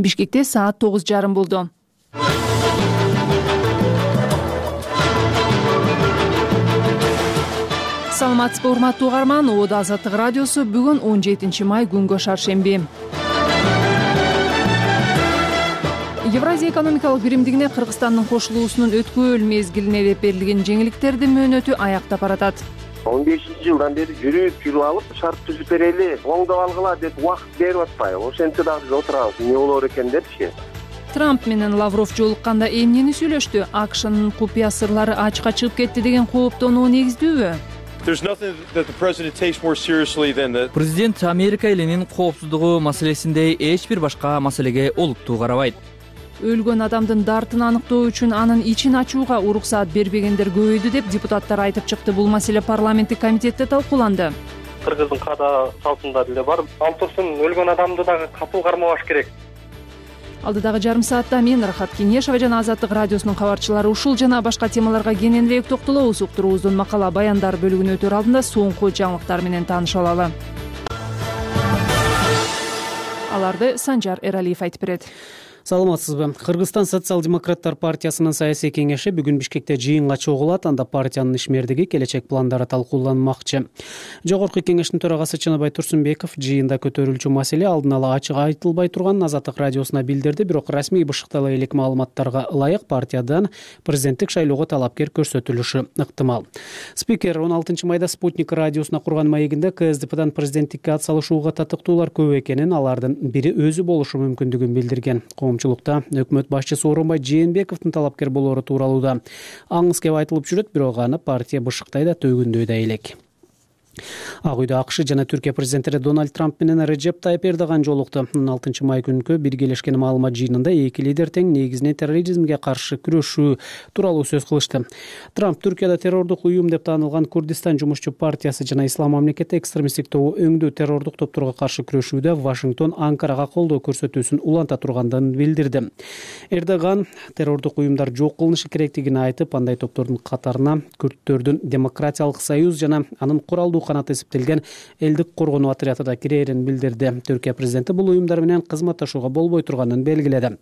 Бишкекте саат 9:30 болду. Саламатсызбы, урматтуу угарман. Оодо Азаттык радиосу бүгүн 17 май күнгө шаршемби. Евразия экономикалык биримдигине Кыргызстандын кошулуусунун өткөл мезгилине деп берилген жеңилдиктердин мөөнөтү аяктап баратат. 15-жылдан бери жүрүп алып шарт түзүп берели, оңдоп алгыла деп убакыт берип атпайбы? Ошентсе дагы биз отурабыз, эмне болор экен депчи. Трамп менен Лавров жолукканда эмнени сүйлөштү? АКШнын купуя сырлары ачыкка чыгып кетти деген кооптонуу негиздүүбү? Президент Америка элинин коопсуздугу маселесиндей эч бир башка маселеге олуттуу карабайт. Өлгөн адамдын дартын аныктоо үчүн анын ичин ачууга уруксаат бербегендер көбөйдү деп депутаттар айтып чыкты. Бул маселе парламенттик комитетте талкууланды. Кыргыздын када салтында деле бар. Алтысын өлгөн адамды дагы капыл кармабаш керек. Алдыдагы жарым саатта мен Рахат Кенешова жана Азаттык радиосунун кабарчылары ушул жана башка темаларга кененирээк токтолобуз. Уктуруубуздун макала баяндар бөлүгүнө өтөр алдында соңку жаңылыктар менен тааныша алалы. Аларды Санжар Эралиев айтып берет. Саламатсызбы. Кыргызстан социал-демократтар партиясынын саясий кеңеши бүгүн Бишкекте жыйынга чогулат. Анда партиянын ишмердиги, келечек пландары талкууланмакчы. Жогорку кеңештин төрагасы Чыныбай Турсунбеков жыйында көтөрүлчү маселе алдын ала ачык айтылбай турганын Азаттык радиосуна билдирди. Бирок расмий бышыктала элек маалыматтарга ылайык партиядан президенттик шайлоого талапкер көрсөтүлүшү ыктымал. Спикер 16 майда Спутник радиосуна курган маегинде КСДПдан президенттикке ат салышууга татыктуулар көп экенин, алардын бири өзү болушу мүмкүндүгүн билдирген. Коомчулукта өкмөт башчысы Орунбай Жээнбековдун талапкер болоору тууралуу да аңыз кеп айтылып жүрөт, бирок аны партия бышыктай да төгүндөй да элек. Ак үйдө АКШ жана Түркия президенттери Дональд Трамп менен Реджеп Тайып Эрдоган жолукту. 16 май күнкү биргелешкен маалымат жыйынында эки лидер тең негизинен терроризмге каршы күрөшүү тууралуу сөз кылышты. Трамп Түркияда террордук уюм деп таанылган Курдистан жумушчу партиясы жана Ислам мамлекети экстремисттик тобу өңдүү террордук топторго каршы күрөшүүдө Вашингтон Анкарага колдоо көрсөтүүсүн уланта тургандыгын билдирди. Эрдоган террордук уюмдар жок кылынышы керектигин айтып, андай топтордун катарына Күрттөрдүн демократиялык союз жана анын куралдуу канаты эсептелген элдик коргонуу отряды да кирээрин билдирди. Түркия президенти бул уюмдар менен кызматташууга болбой турганын белгиледи.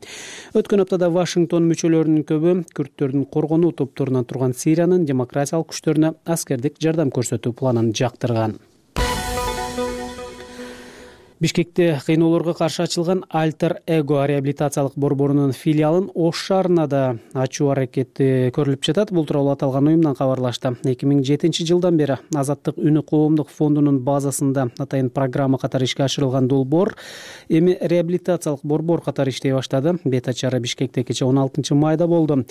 Өткөн аптада Вашингтон мүчөлөрүнүн көбү Күрттөрдүн коргонуу топторунан турган Сириянын демократиялык күчтөрүнө аскердик жардам көрсөтүү планын жактырган. Бишкекте кыйноолорго каршы ачылган Альтер Эго реабилитациялык борборунун филиалын Ош шаарына да ачуу аракети көрүлүп жатат. Бул тууралуу аталган уюмдан кабарлашты. 2007 жылдан бери Азаттык үнү коомдук фондунун базасында атайын программа катары ишке ашырылган долбоор эми реабилитациялык борбор катары иштей баштады. Бет ачары Бишкекте кече 16 майда болду.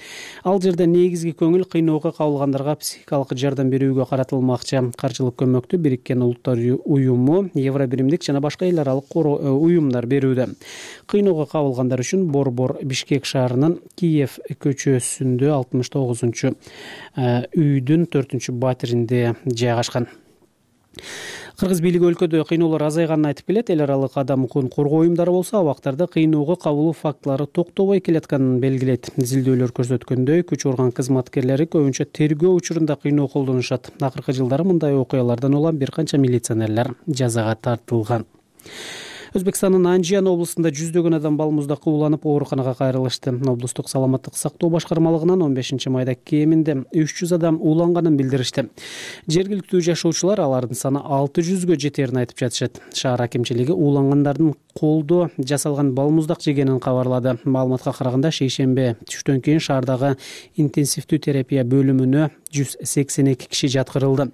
Ал жерде негизги көңүл кыйноого кабылгандарга психикалык жардам берүүгө каратылмакчы. Каржылык көмөктү Бириккен Улуттар уюму, Евробиримдик жана башка аралык уюмдар берүүдө. Кыйноого кабылгандар үчүн борбор Бишкек шаарынын Киев көчөсүндө 69 үйдүн 4 батиринде жайгашкан. Кыргыз бийлиги өлкөдө кыйноолор азайганын айтып келет. Эл аралык адам укугун коргоо уюмдары болсо абактарда кыйноого кабылуу фактылары токтобой келатканын белгилейт. Изилдөөлөр көрсөткөндөй, күч орган кызматкерлери көбүнчө тергөө учурунда кыйноо колдонушат. Акыркы жылдары мындай окуялардан улам бир канча милиционерлер жазага тартылган. Өзбекстандын Анжиян облусунда жүздөгөн адам балмуздакка уланып ооруканага кайрылышты. Облустук саламаттык сактоо башкармалыгынан 15 майда кеминде 300 адам уланганын билдиришти. Жергиликтүү жашоочулар алардын саны 600гө жетерин айтып жатышат. Шаар акимчилиги улангандардын колдо жасалган балмуздак жегенин кабарлады. Маалыматка караганда шейшембе түштөн кийин шаардагы интенсивдүү терапия бөлүмүнө 182 киши жаткырылды.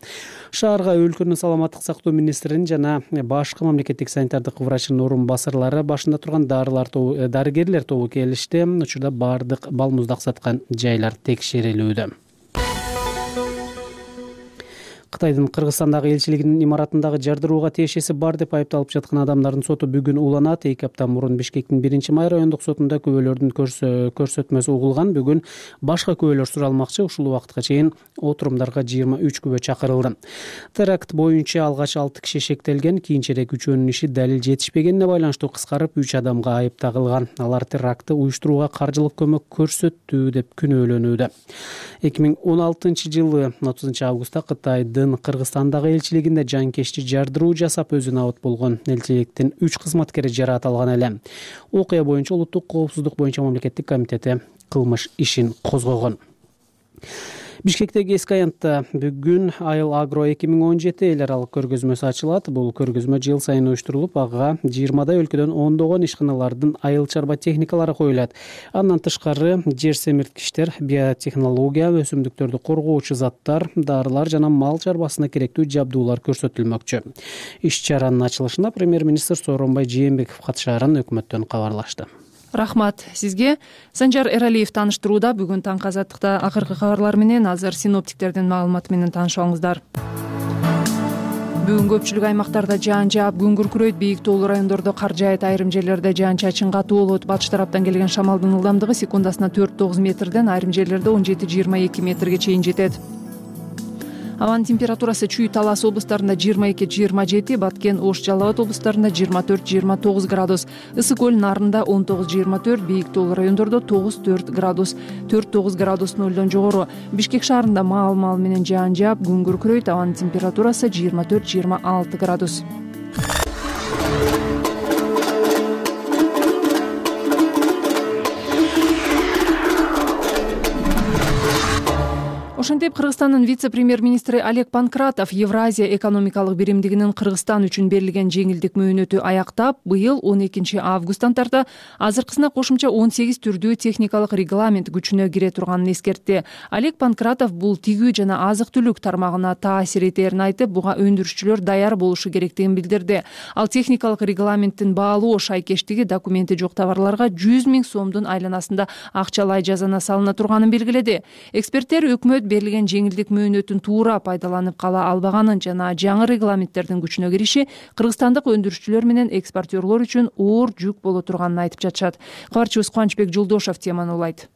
Шаарга өлкөнүн саламаттык сактоо министринин жана башкы мамлекеттик санитардык врачынын орун басарлары башында турган дарыгерлер тобу келишти. Учурда бардык балмуздак саткан жайлар текшерилүүдө. Кытайдын Кыргызстандагы элчилигинин имаратындагы жардырууга тиешеси бар деп айыпталып жаткан адамдардын соту бүгүн уланат. 2 апта мурун Бишкектин 1-май райондук сотунда күбөлөрдүн көрсөтмөсү угулган. Бүгүн башка күбөлөр суралмакчы. Ушул убакытка чейин отурумдарга 23 күбө чакырылды. Теракт боюнча алгач 6 киши шектелген. Кийинчерээк үчөөнүн иши далил жетишпегенине байланыштуу кыскарып 3 адамга айып тагылган. Алар терактты уюштурууга каржылык көмөк көрсөттү деп күнөөлөнүүдө. 2016 жылы 30 августта Кытайдын Кытайдын Кыргызстандагы элчилигинде жанкечти жардыруу жасап өзү набыт болгон. Элчиликтин 3 кызматкери жаратылган эле. Окуя боюнча Улуттук коопсуздук боюнча мамлекеттик комитети кылмыш ишин козгогон. Бишкектеги эски аянтта бүгүн Айыл Агро 2017 эл аралык көргөзмөсү ачылат. Бул көргөзмө жыл сайын уюштурулуп, ага 20 өлкөдөн ондогон ишканалардын айыл чарба техникалары коюлат. Андан тышкары жер семирткичтер, биотехнология, өсүмдүктөрдү коргоочу заттар, дарылар жана мал чарбасына керектүү жабдуулар көрсөтүлмөкчү. Иш-чаранын ачылышына премьер-министр Сооронбай Жээнбеков катышаарын өкмөттөн кабарлашты. Рахмат сизге. Санжар Эралиев тааныштырууда. Бүгүн таңкы азаттыкта акыркы кабарлар менен азыр синоптиктердин маалыматы менен таанышабыңыздар. Бүгүн көпчүлүк аймактарда жаан жаап, күн күркүрөйт. Бийик тоолуу райондордо кар жаайт, айрым жерлерде жаан-чачын катуу болот. Батыш тараптан келген шамалдын ылдамдыгы секундасына 4-9 метрден, айрым жерлерде 17-22 метрге чейин жетет. Абанын температурасы Чүй, Талас облустарында 22-27, Баткен, Ош, Жалал Абад облустарында 24-29 градус, Ысык көл нарында 19-24, бийик тоолуу райондордо 9-4 градус, 4-9 градус нөлдөн жогору. Бишкек шаарында маал менен жаан жаап, күн күркүрөйт. Абанын температурасы 24-26 градус. Ошентип, Кыргызстандын вице-премьер-министри Олег Панкратов Евразия экономикалык биримдигинин Кыргызстан үчүн берилген жеңилдик мөөнөтү аяктап, быйыл 12 августтан тарта азыркысына кошумча 18 түрдүү техникалык регламент күчүнө кире турганын эскертти. Олег Панкратов бул тигүү жана азык-түлүк тармагына таасир этерин айтып, буга өндүрүшчүлөр даяр болушу керектигин билдирди. Ал техникалык регламенттин баалуу шайкештиги документи жок товарларга 100 000 сомдун айланасында акчалай жазана салына турганын белгиледи. Эксперттер өкмөт берилген жеңилдик мөөнөтүн туура пайдаланып кала албаганын жана жаңы регламенттердин күчүнө кириши кыргызстандык өндүрүшчүлөр менен экспортерлор үчүн оор жүк боло турганын айтып жатышат. Кабарчыбыз Кубанычбек Жолдошов теманы улайт.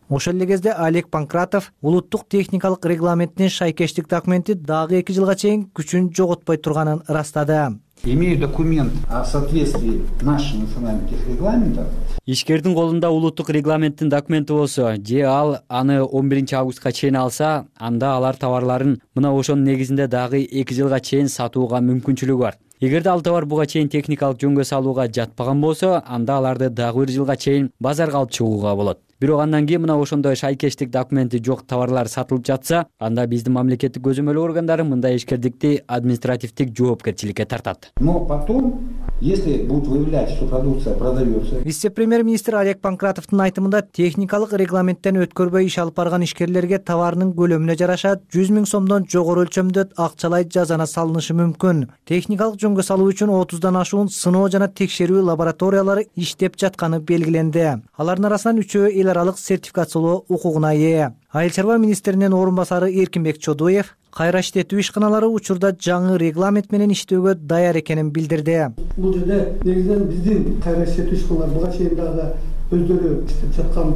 Ошол эле кезде Олег Панкратов улуттук техникалык регламенттин шайкештик документи дагы 2 жылга чейин күчүн жоготпой турганын ырастады. Имею документ о соответствии нашим национальным техрегламентам. Ишкердин колунда улуттук регламенттин документи болсо, же ал аны 11 августка чейин алса, анда алар товарларын мына ошонун негизинде дагы 2 жылга чейин сатууга мүмкүнчүлүгү бар. Эгерде ал товар буга чейин техникалык жөнгө салууга жатпаган болсо, анда аларды дагы 1 жылга чейин базарга алып чыгууга болот. Бирок андан кийин мына ошондой шайкештик документи жок товарлар сатылып жатса, анда биздин мамлекеттик көзөмөл органдары мындай ишкердикти административдик жоопкерчиликке тартат. Но потом, если будут выявлять, что продукция продается. Вице-премьер-министр Олег Панкратовдун айтымында техникалык регламенттен өткөрбөй иш алып барган ишкерлерге товарынын көлөмүнө жараша 100 000 сомдон жогору өлчөмдө акчалай жазана салынышы мүмкүн. Техникалык жөнгө салуу үчүн 30дан ашуун сыноо жана текшерүү лабораториялары иштеп жатканы белгиленди. Алардын арасынан 3-өө эл аралык сертификациялоо укугуна ээ. Айыл чарба министринин орун басары Эркинбек Чодуев кайра иштетүү ишканалары учурда жаңы регламент менен иштөөгө даяр экенин билдирди. Бул жерде негизинен биздин кайра иштетүү ишканалар буга чейин дагы өздөрү иштеп жаткан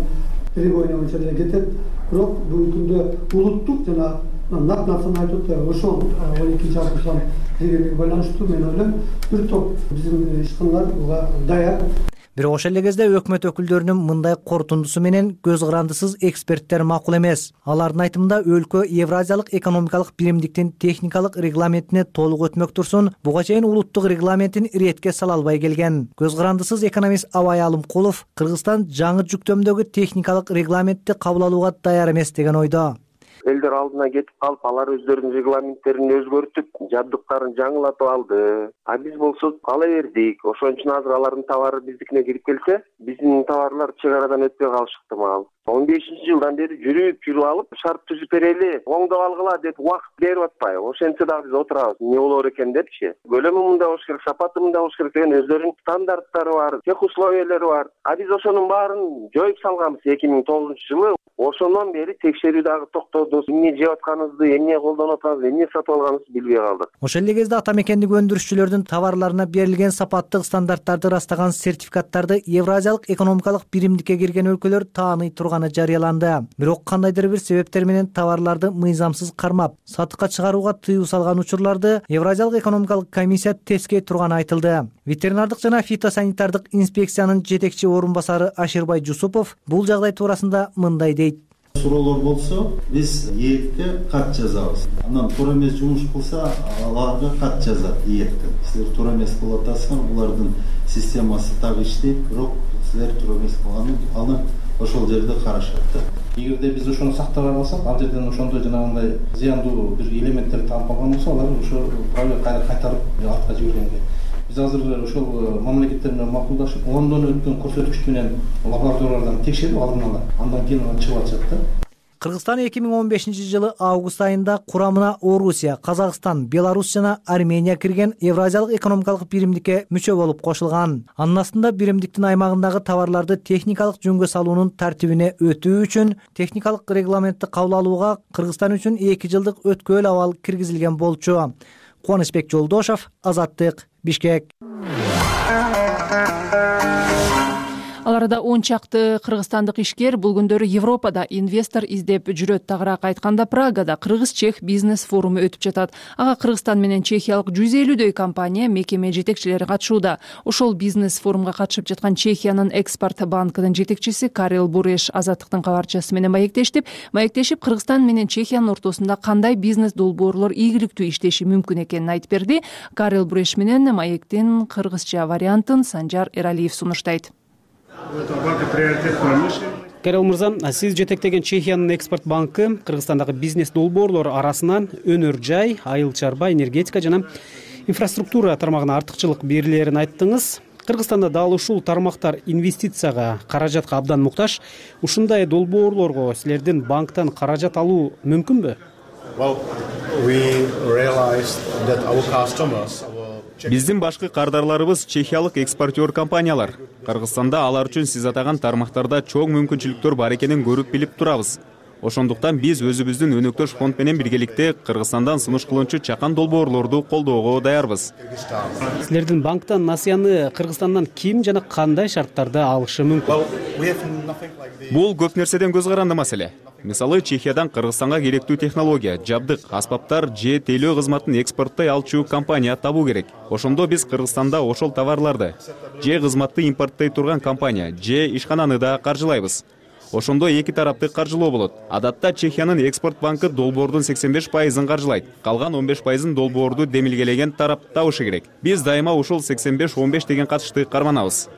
требования боюнча эле кетет. Бирок бүгүнкү күндө улуттук жана нак нерсени айтып атат. Ошол 12 августтан дегенге байланыштуу мен ойлойм бир топ биздин ишканалар буга даяр. Бирок ошол эле кезде өкмөт өкүлдөрүнүн мындай корутундусу менен көз карандысыз эксперттер макул эмес. Алардын айтымында өлкө Евразиялык экономикалык биримдиктин техникалык регламентине толук өтмөк турсун, буга чейин улуттук регламентин иретке сала албай келген. Көз карандысыз экономист Абай Алымкулов Кыргызстан жаңы жүктөмдөгү техникалык регламентти кабыл алууга даяр эмес деген ойдо. Элдер алдына кетип калып, алар өздөрүнүн регламенттерин өзгөртүп, жабдыктарын жаңылатып алды. А биз болсо ала бердик. Ошон үчүн азыр алардын товары биздикине кирип келсе, биздин товарлар чек арадан өтпөй калышы ыктымал. 15-жылдан бери жүрүп алып, шарт түзүп берели, оңдоп алгыла деп убакыт берип атпай. Ошентсе дагы биз отурабыз. Эмне болор экен депчи. Көлөмү мындай болуш керек, сапаты мындай болуш керек деген өздөрүнүн стандарттары бар, тех условиялары бар. А биз ошонун баарын жоюп салганбыз 2009-жылы. Ошондон бери текшерүү дагы токтоду. Эмне жеп атканыбызды, эмне колдонуп атганыбызды, эмне сатып алганыбызды билбей калдык. Ошол эле кезде ата мекендик өндүрүшчүлөрдүн товарларына берилген сапаттык стандарттарды ырастаган сертификаттарды Евразиялык экономикалык биримдикке кирген өлкөлөр тааный турганы жарыяланды. Бирок кандайдыр бир себептер менен товарларды мыйзамсыз кармап, сатыкка чыгарууга тыюу салган учурларды Евразиялык экономикалык комиссия тескей турганы айтылды. Ветеринардык жана фитосанитардык инспекциянын жетекчи орун басары Аширбай Жусупов бул жагдай туурасында мындай дейт. суроолор болсо биз ээкке кат жазабыз. Анан туура эмес жумуш кылса аларга кат жазат ээктен. Силер туура эмес кылып атасыңар, булардын системасы так иштейт, бирок силер туура эмес кылганы аны ошол жерде карашат да. Эгерде биз ошону сактабай калсак, ал жерден ошондой жанагындай зыяндуу бир элементтер таап алган болсо, алар ошо правило кайра кайтарып артка жибергенге. Биз азыр ошол мамлекеттер менен макулдашып, Лондон өткөн көрсөткүч менен лабораториялардан текшерип алдын ала, андан кийин аны чыгып атышат да. Кыргызстан 2015-жылы август айында курамына Орусия, Казакстан, Беларусь жана Армения кирген Евразиялык экономикалык биримдикке мүчө болуп кошулган. Анын астында биримдиктин аймагындагы товарларды техникалык жөнгө салуунун тартибине өтүү үчүн техникалык регламентти кабыл алууга Кыргызстан үчүн 2 жылдык өткөөл абал киргизилген болчу. Кубанычбек Жолдошов, Азаттык, Бишкек. Ал арада 10 чакты кыргызстандык ишкер бул күндөрү Европада инвестор издеп жүрөт. Тагыраак айтканда, Прагада кыргыз-чех бизнес форуму өтүп жатат. Ага Кыргызстан менен Чехиялык 150дөй компания, мекеме жетекчилери катышууда. Ошол бизнес форумга катышып жаткан Чехиянын экспорт банкынын жетекчиси Карел Буреш Азаттыктын кабарчысы менен маектешип, Кыргызстан менен Чехиянын ортосунда кандай бизнес долбоорлор ийгиликтүү иштеши мүмкүн экенин айтып берди. Карел Буреш менен маектин кыргызча вариантын Санжар Эралиев сунуштайт. Карел мырза, сиз жетектеген Чехиянын экспорт банкы Кыргызстандагы бизнес долбоорлор арасынан өнөр жай, айыл чарба, энергетика жана инфраструктура тармагына артыкчылык берилерин айттыңыз. Кыргызстанда дал ушул тармактар инвестицияга, каражатка абдан муктаж. Ушундай долбоорлорго силердин банктан каражат алуу мүмкүнбү? Биздин башкы кардарларыбыз чехиялык экспортер компаниялар. Кыргызстанда алар үчүн сиз атаган тармактарда чоң мүмкүнчүлүктөр бар экенин көрүп билип турабыз. Ошондуктан биз өзүбүздүн өнөктөш фонд менен биргеликте Кыргызстандан сунуш кылынчу чакан долбоорлорду колдоого даярбыз. Силердин банктан насыяны Кыргызстандан ким жана кандай шарттарда алышы мүмкүн? Бул көп нерседен көз каранды маселе. Мисалы, Чехиядан Кыргызстанга керектүү технология, жабдык, аспаптар же тейлөө кызматын экспорттой алчу компания табуу керек. Ошондо биз Кыргызстанда ошол товарларды же кызматты импорттой турган компания же ишкананы да каржылайбыз. Ошондо эки тарапты каржылоо болот. Адатта Чехиянын экспорт банкы долбоордун 85%-ын каржылайт. Калган 15%-ын долбоорду демилгелеген тарап табышы керек. Биз дайыма ушул 85-15 деген катышты карманабыз.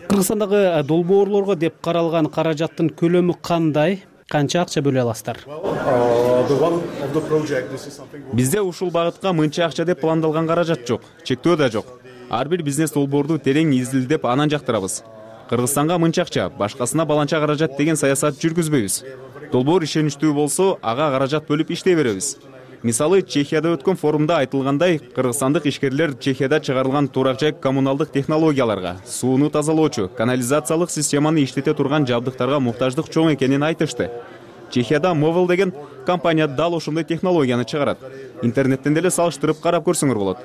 Кыргызстандагы долбоорлорго деп каралган каражаттын көлөмү кандай? Канча акча бөлө аласыздар? Бизде ушул багытка мынча акча деп пландалган каражат жок, чектөө да жок. Ар бир бизнес долбоорду терең изилдеп анан жактырабыз. Кыргызстанга мынча акча, башкасына баланча каражат деген саясат жүргүзбөйбүз. Долбоор ишеничтүү болсо, ага каражат бөлүп иштей беребиз. Мисалы, Чехияда өткөн форумда айтылгандай, кыргызстандык ишкерлер Чехияда чыгарылган турак-жай коммуналдык технологияларга, сууну тазалоочу, канализациялык системаны иштете турган жабдыктарга муктаждык чоң экенин айтышты. Чехияда Movel деген компания дал ошондой технологияны чыгарат. Интернеттен деле салыштырып карап көрсөңөр болот.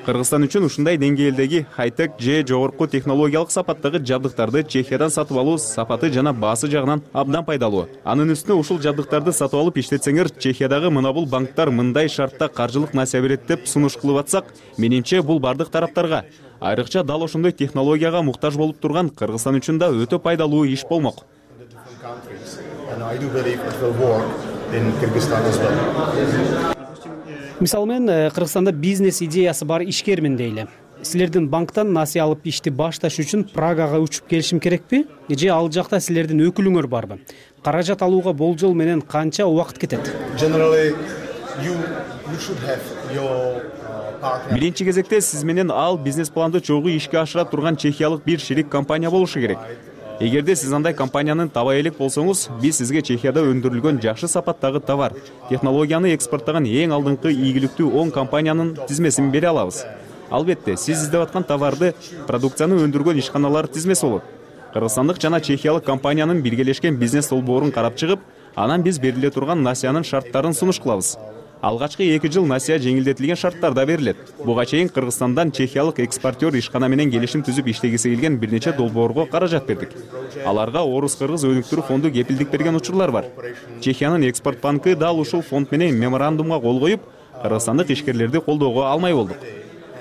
Кыргызстан үчүн ушундай деңгээлдеги хай-тек же жогорку технологиялык сапаттагы жабдыктарды Чехиядан сатып алуу сапаты жана баасы жагынан абдан пайдалуу. Анын үстүнө ушул жабдыктарды сатып алып иштетсеңер, Чехиядагы мына бул банктар мындай шартта каржылык насыя берет деп сунуш кылып атсак, менимче бул бардык тараптарга, айрыкча дал ошондой технологияга муктаж болуп турган Кыргызстан үчүн да өтө пайдалуу иш болмок. Мисалы мен Кыргызстанда бизнес идеясы бар ишкермин дейли. Силердин банктан насыя алып ишти башташ үчүн Прагага учуп келишим керекпи? Же ал жакта силердин өкүлүңөр барбы? Каражат алууга болжол менен канча убакыт кетет? Биринчи кезекте сиз менен ал бизнес планды чогуу ишке ашыра турган чехиялык бир шерик компания болушу керек. Эгерде сиз андай компаниянын табай элек болсоңуз, биз сизге Чехияда өндүрүлгөн жакшы сапаттагы товар, технологияны экспорттогон эң алдыңкы ийгиликтүү 10 компаниянын тизмесин бере алабыз. Албетте, сиз издеп аткан товарды, продукцияны өндүргөн ишканалар тизмеси болот. Кыргызстандык жана чехиялык компаниянын биргелешкен бизнес долбоорун карап чыгып, анан биз бериле турган насыянын шарттарын сунуш кылабыз. Алгачкы 2 жыл насыя жеңилдетилген шарттарда берилет. Буга чейин Кыргызстандан чехиялык экспортер ишкана менен келишим түзүп иштегиси келген бир нече долбоорго каражат бердик. Аларга Орус-Кыргыз өнүктүрүү фонду кепилдик берген учурлар бар. Чехиянын экспорт банкы дал ушул фонд менен меморандумга кол коюп, кыргызстандык ишкерлерди колдоого алмай болдук.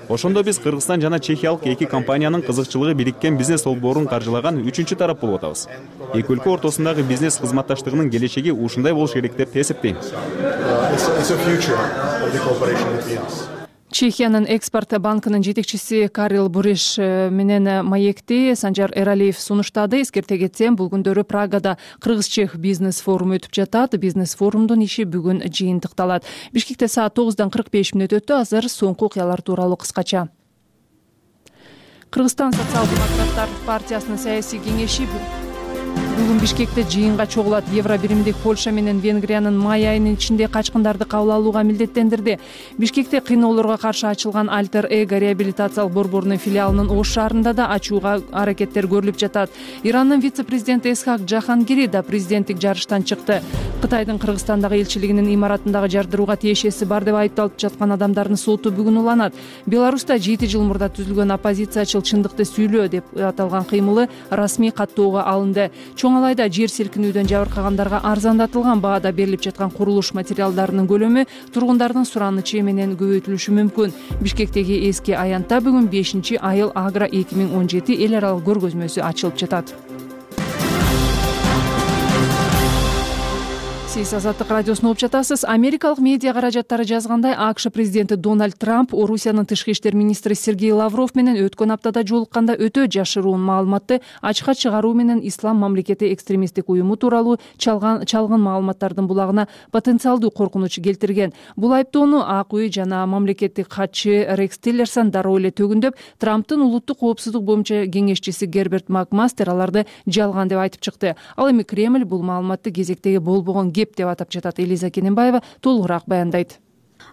Ошондо биз Кыргызстан жана чехиялык эки компаниянын кызыкчылыгы бириккен бизнес долбоорун каржылаган үчүнчү тарап болуп атабыз. Эки өлкө ортосундагы бизнес кызматташтыгынын келечеги ушундай болуш керек деп эсептейм. Чехиянын экспорт банкынын жетекчиси Карел Буреш менен маекти Санжар Эралиев сунуштады. Эскерте кетсем, бул күндөрү Прагада Кыргыз-Чех бизнес форуму өтүп жатат. Бизнес форумдун иши бүгүн жыйынтыкталат. Бишкекте саат 9:45 өттү. Азыр соңку окуялар тууралуу кыскача. Кыргызстан социал-демократтар партиясынын саясий кеңеши бүгүн Бишкекте жыйынга чогулат. Евро биримдик Польша менен Венгриянын май айынын ичинде качкындарды кабыл алууга милдеттендирди. Бишкекте кыйноолорго каршы ачылган Альтер Эго реабилитациялык борборунун филиалынын Ош шаарында да ачууга аракеттер көрүлүп жатат. Ирандын вице-президенти Эсхак Жахангири да президенттик жарыштан чыкты. Кытайдын Кыргызстандагы элчилигинин имаратындагы жардырууга тиешеси бар деп айыпталып жаткан адамдардын соту бүгүн уланат. Беларуста 7 жыл мурда түзүлгөн оппозициячыл чындыкты сүйлөө деп аталган кыймылы расмий каттоого алынды. Чоң алайда жер силкинүүдөн жабыркагандарга арзандатылган баада берилип жаткан курулуш материалдарынын көлөмү тургундардын суранычы менен көбөйтүлүшү мүмкүн. Бишкектеги эски аянтта бүгүн 5-айыл Агро 2017 эл аралык көргөзмөсү ачылып жатат. Сиз Азаттык радиосун угуп жатасыз. Америкалык медиа каражаттары жазгандай, АКШ президенти Дональд Трамп Орусиянын тышкы иштер министри Сергей Лавров менен өткөн аптада жолукканда өтө жашыруун маалыматты ачыкка чыгаруу менен Ислам мамлекети экстремисттик уюму тууралуу чалгын маалыматтардын булагына потенциалдуу коркунуч келтирген. Бул айыптоону АК үй жана мамлекеттик катчы Рекс Тиллерсон дароо эле төгүндөп, Трамптын улуттук коопсуздук боюнча кеңешчиси Герберт Макмастер аларды жалган деп айтып чыкты. Ал эми Кремль бул маалыматты кезектеги болбогон кеп деп атап жатат. Элиза Кененбаева толугураак баяндайт.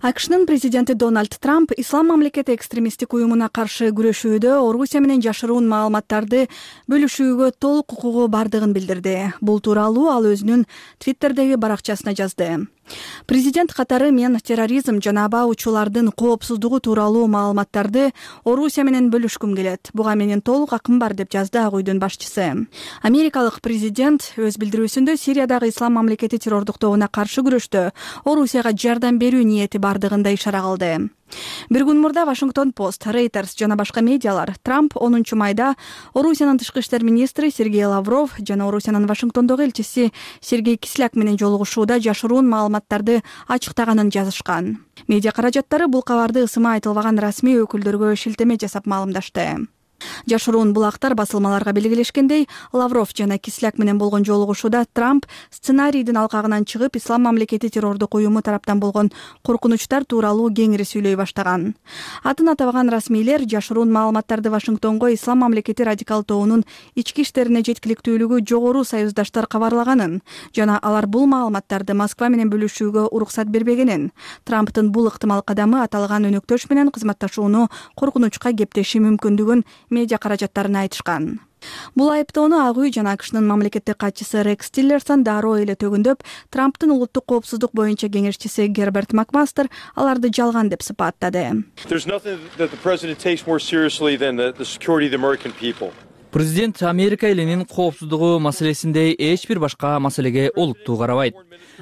АКШнын президенти Дональд Трамп Ислам мамлекети экстремисттик уюмуна каршы күрөшүүдө Орусия менен жашыруун маалыматтарды бөлүшүүгө толук укугу бардыгын билдирди. Бул тууралуу ал өзүнүн Твиттердеги баракчасына жазды. Президент катары мен терроризм жана аба учуулардын коопсуздугу тууралуу маалыматтарды Орусия менен бөлүшкүм келет. Буга менин толук акым бар деп жазды ак үйдүн башчысы. Америкалык президент өз билдирүүсүндө Сириядагы Ислам мамлекети террордук тобуна каршы күрөштө Орусияга жардам берүү ниети бардыгын да ишара кылды. Бир күн мурда Вашингтон Пост, Reuters жана башка медиалар Трамп 10 майда Орусиянын тышкы иштер министри Сергей Лавров жана Орусиянын Вашингтондогу элчиси Сергей Кисляк менен жолугушууда жашыруун маалыматтарды ачыктаганын жазышкан. Медиа каражаттары бул кабарды ысыма айтылбаган расмий өкүлдөргө шилтеме жасап маалымдашты. Жашыруун булактар басылмаларга белгилешкендей, Лавров жана Кисляк менен болгон жолугушууда Трамп сценарийдин алкагынан чыгып, Ислам мамлекети террордук уюму тараптан болгон коркунучтар тууралуу кеңири сүйлөй баштаган. Атын атабаган расмийлер жашыруун маалыматтарды Вашингтонго Ислам мамлекети радикал тобунун ички иштерине жеткиликтүүлүгү жогору союздаштар кабарлаганын жана алар бул маалыматтарды Москва менен бөлүшүүгө уруксат бербегенин, Трамптын бул ыктымал кадамы аталган өнөктөш менен кызматташууну коркунучка кептеши мүмкүндүгүн медиа каражаттарына айтышкан. Бул айыптоону ак үй жана АКШнын мамлекеттик катчысы Рекс Тиллерсон дароо эле төгүндөп, Трамптын улуттук коопсуздук боюнча кеңешчиси Герберт Макмастер аларды жалган деп сыпаттады. Президент Америка элинин коопсуздугу маселесиндей эч бир башка маселеге олуттуу карабайт.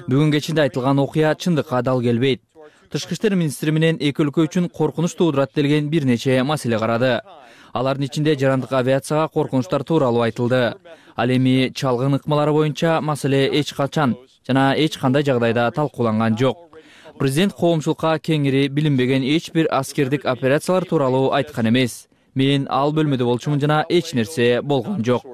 Бүгүн кечинде айтылган окуя чындыкка дал келбейт. Тышкы иштер министри менен эки өлкө үчүн коркунуч туудурат делген бир нече маселе карады. Алардын ичинде жарандык авиацияга коркунучтар тууралуу айтылды. Ал эми чалгын ыкмалары боюнча маселе эч качан жана эч кандай жагдайда талкууланган жок. Президент коомчулукка кеңири билинбеген эч бир аскердик операциялар тууралуу айткан эмес. Мен ал бөлмөдө болчумун жана эч нерсе болгон жок.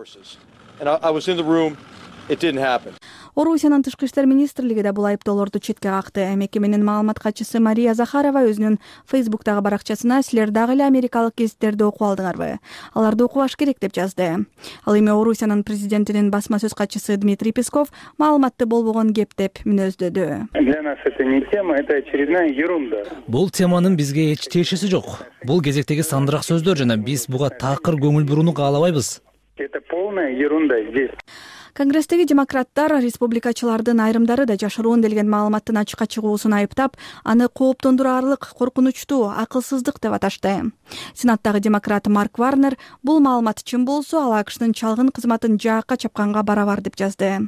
Орусиянын тышкы иштер министрлиги да бул айыптоолорду четке какты. Мекеменин маалымат катчысы Мария Захарова өзүнүн Фейсбуктагы баракчасына силер дагы эле америкалык гезиттерди окуп алдыңарбы? Аларды окубаш керек деп жазды. Ал эми Орусиянын президентинин басма сөз катчысы Дмитрий Песков маалыматты болбогон кеп деп мүнөздөдү. Для нас это не тема, это очередная ерунда. Бул теманын бизге эч тиешеси жок. Бул кезектеги сандырак сөздөр жана биз буга такыр көңүл бурууну каалабайбыз. Это полная ерунда здесь. Конгресстеги демократтар республикачылардын айрымдары да жашыруун делген маалыматтын ачыкка чыгуусун айыптап, аны кооптондураарлык, коркунучтуу, акылсыздык деп аташты. Сенаттагы демократ Марк Варнер бул маалымат чын болсо, ал АКШнын чалгын кызматын жаакка чапканга барабар деп жазды.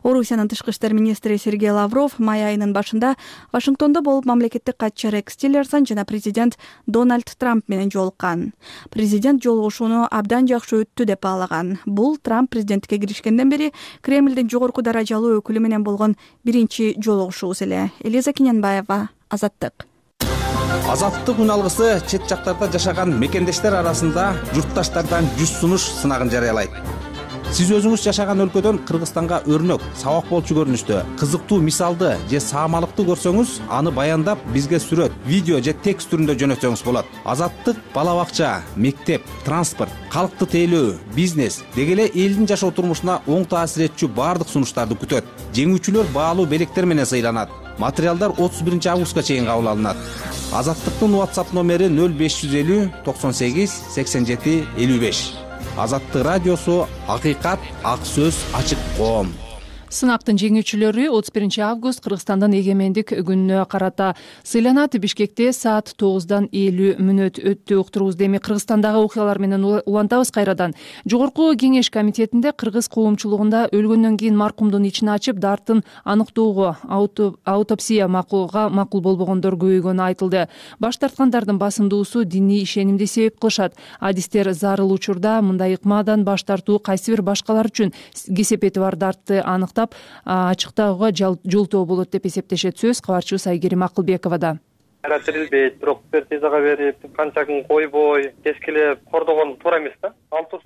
Орусиянын тышкы иштер министри Сергей Лавров май айынын башында Вашингтондо болуп мамлекеттик катчы Рекс Тиллерсон жана президент Дональд Трамп менен жолуккан. Президент жолугушууну абдан жакшы өттү деп баалаган. Бул Трамп президенттикке киришкенден бери Кремлдин жогорку даражалуу өкүлү менен болгон биринчи жолугушуусу эле. Элиза Кененбаева, Азаттык. Азаттык үн алгысы чет жактарда жашаган мекендештер арасында журтташтардан 100 сунуш сынагын жарыялайт. Сиз өзүңүз жашаган өлкөдөн Кыргызстанга өрнөк, сабак болчу көрүнүштө, кызыктуу мисалды же саамалыкты көрсөңүз, аны баяндап бизге сүрөт, видео же текст түрүндө жөнөтсөңүз болот. Азаттык бала бакча, мектеп, транспорт, калкты тейлөө, бизнес деги эле элдин жашоо турмушуна оң таасир этчү баардык сунуштарды күтөт. Жеңүүчүлөр баалуу белектер менен сыйланат. Материалдар 31 августка чейин кабыл алынат. Азаттыктын WhatsApp номери 0550 98 87 55. Азаттык радиосу, акыйкат, ак сөз, ачык коом. Сынактын жеңүүчүлөрү 31 август Кыргызстандын эгемендик күнүнө карата сыйланат. Бишкекте саат 9:50 өттү. Уктурубузду эми Кыргызстандагы окуялар менен улантабыз кайрадан. Жогорку кеңеш комитетинде кыргыз коомчулугунда өлгөндөн кийин маркумдун ичин ачып дартын аныктоого аутопсия макул болбогондор көбөйгөнү айтылды. Баш тарткандардын басымдуусу диний ишенимди себеп кылышат. Адистер зарыл учурда мындай ыкмадан баш тартуу кайсы бир башкалар үчүн кесепети бар дартты аныктап ачыктоого жолтоо болот деп эсептешет. Сөз кабарчыбыз Айгерим Акылбековада. Терилбейт, бирок экспертизага берип, канча күн койбой, кескилеп кордогон туура эмес да.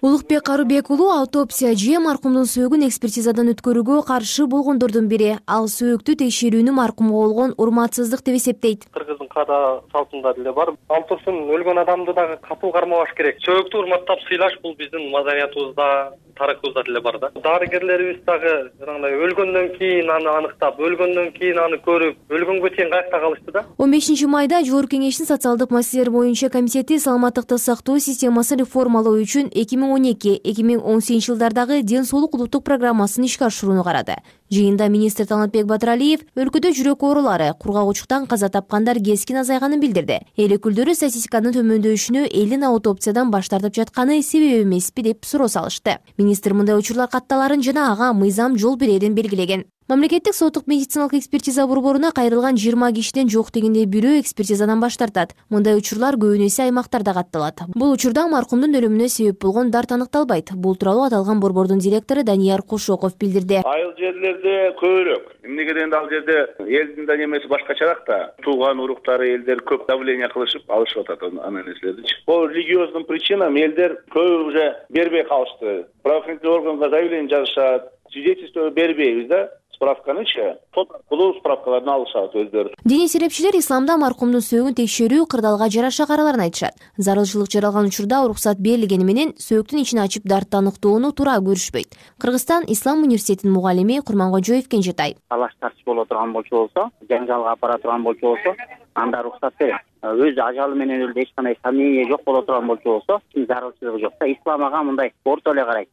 Улукбек Карыбек уулу аутопсия же маркумдун сөөгүн экспертизадан өткөрүүгө каршы болгондордун бири. Ал сөөктү текшерүүнү маркумга болгон урматсыздык деп эсептейт. Кыргыздын када салтында деле бар. Ал турсун өлгөн адамды дагы катуу кармабаш керек. Сөөктү урматтап сыйлаш бул биздин маданиятыбызда, тарыхыбызда деле бар да. Дарыгерлерибиз дагы жанагындай өлгөндөн кийин аны аныктап, өлгөндөн кийин аны көрүп, өлгөнгө чейин каякта калышты да. 15 майда Жогорку кеңештин социалдык маселелер боюнча комитети саламаттыкты сактоо системасын реформалоо үчүн 2012-2018 жылдардагы ден соолук улуттук программасын ишке ашырууну карады. Жыйында министр Талантбек Батыралиев өлкөдө жүрөк оорулары, кургагучтуктан каза тапкандар кескин азайганын билдирди. Эл өкүлдөрү статистиканын төмөндөшүнө элдин аутопсиядан баш тартып жатканы себеп эмеспи деп суроо салышты. Министр мындай учурлар катталарын жана ага мыйзам жол берерин белгилеген. Мамлекеттик соттук медициналык экспертиза борборуна кайрылган 20 кишиден жок дегенде бирөө экспертизадан баш тартат. Мындай учурлар көбүнесе аймактарда катталат. Бул учурда маркумдун өлүмүнө себеп болгон дарт аныкталбайт. Бул тууралуу аталган борбордун директору Данияр Кушоков билдирди. Айыл жерлерде көбүрөөк. Эмнеге дегенде ал жерде элдин да немеси башкачараак да. Тууган уруктары элдер көп давление кылышып алышып атат анын нерселерди. Бул религиоздун причинам элдер көбү уже бербей калышты. Правоохранительный органга заявление жазышат, свидетельство бербейбиз да. Справканычы, сот аркылуу справкаларын алышат өздөрү. Диний серепчилер исламда маркумдун сөөгүн текшерүү кырдаалга жараша караларын айтышат. Зарылчылык жаралган учурда уруксат берилгени менен сөөктүн ичин ачып дартты аныктоону туура көрүшпөйт. Кыргызстан Ислам университетинин мугалими Курманкожоев Кенжетай. Талаш тартыш боло турган болчу болсо, жаңжалга апара турган болчу болсо, анда уруксат берет. Өз ажалы менен өлдү, эч кандай сомнение жок боло турган болчу болсо, зарылчылыгы жок да. Ислам ага мындай орто эле карайт.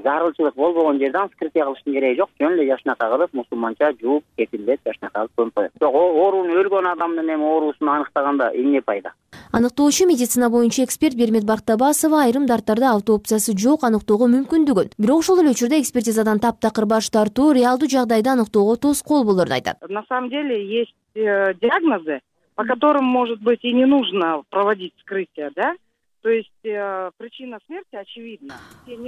Зарылчылык болбогон жерден вскрытие кылыштын кереги жок. Жөн эле жашнака кылып, мусулманча жууп, кепилдеп жашнака кылып көмүп коет. Бирок оорууну өлгөн адамдын эми оорусун аныктаганда эмне пайда? Аныктоочу медицина боюнча эксперт Бермет Бактабасова айрым дарттарды аутопсиясы жок аныктоого мүмкүндүгүн, бирок ошол эле учурда экспертизадан таптакыр баш тартуу реалдуу жагдайда аныктоого тоскоол болоорун айтат. На самом деле есть диагнозы, по которым, может быть, и не нужно проводить вскрытие, да? То есть причина смерти очевидна.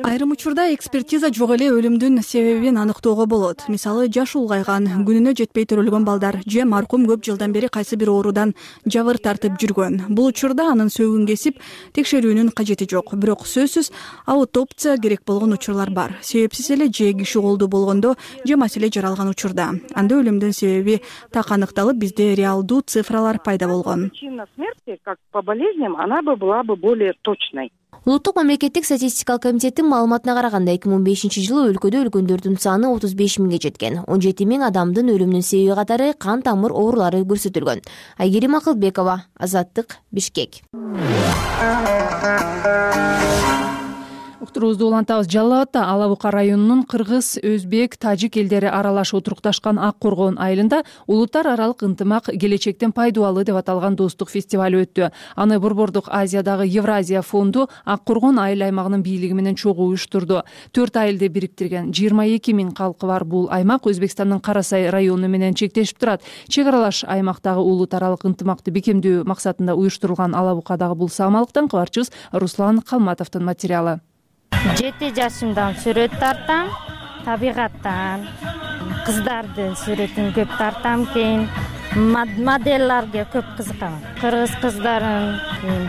Айрым учурда экспертиза жок эле өлүмдүн себебин аныктоого болот. Мисалы, жашы улгайган, күнүнө жетпей төрөлгөн балдар же маркум көп жылдан бери кайсы бир оорудан жабыр тартып жүргөн. Бул учурда анын сөөгүн кесип текшерүүнүн кажети жок. Бирок сөзсүз аутопсия керек болгон учурлар бар. Себепсиз эле же киши колдуу болгондо же маселе жаралган учурда. Анда өлүмдүн себеби так аныкталып, бизде реалдуу цифралар пайда болгон. Причина смерти, как по болезням, она бы была бы более точной. Улуттук мамлекеттик статистикалык комитеттин маалыматына караганда 2005-жылы өлкөдө өлгөндөрдүн саны 35 миңге жеткен. 17 миң адамдын өлүмүнүн себеби катары кан тамыр оорулары көрсөтүлгөн. Айгерим Акылбекова, Азаттык, Бишкек. уктуруубузду улантабыз. Жалал Абадда Ала Бука районунун кыргыз, өзбек, тажик элдери аралаш отурукташкан Ак Коргон айылында улуттар аралык ынтымак келечектен пайдалуу деп аталган достук фестиваль өттү. Аны Борбордук Азиядагы Евразия фонду Ак Коргон айыл аймагынын бийлиги менен чогуу уюштурду. 4 айылды бириктирген 22 миң калкы бар бул аймак Өзбекстандын Кара Сай району менен чектешип турат. Чек аралаш аймактагы улут аралык ынтымакты бекемдөө максатында уюштурулган Ала Букадагы бул саамалыктан кабарчыбыз Руслан Калматовдун материалы. 7 жашымдан сүрөт тартам, табигаттан, кыздардын сүрөтүн көп тартам, кийин моделлерге көп кызыкам. Кыргыз кыздарын,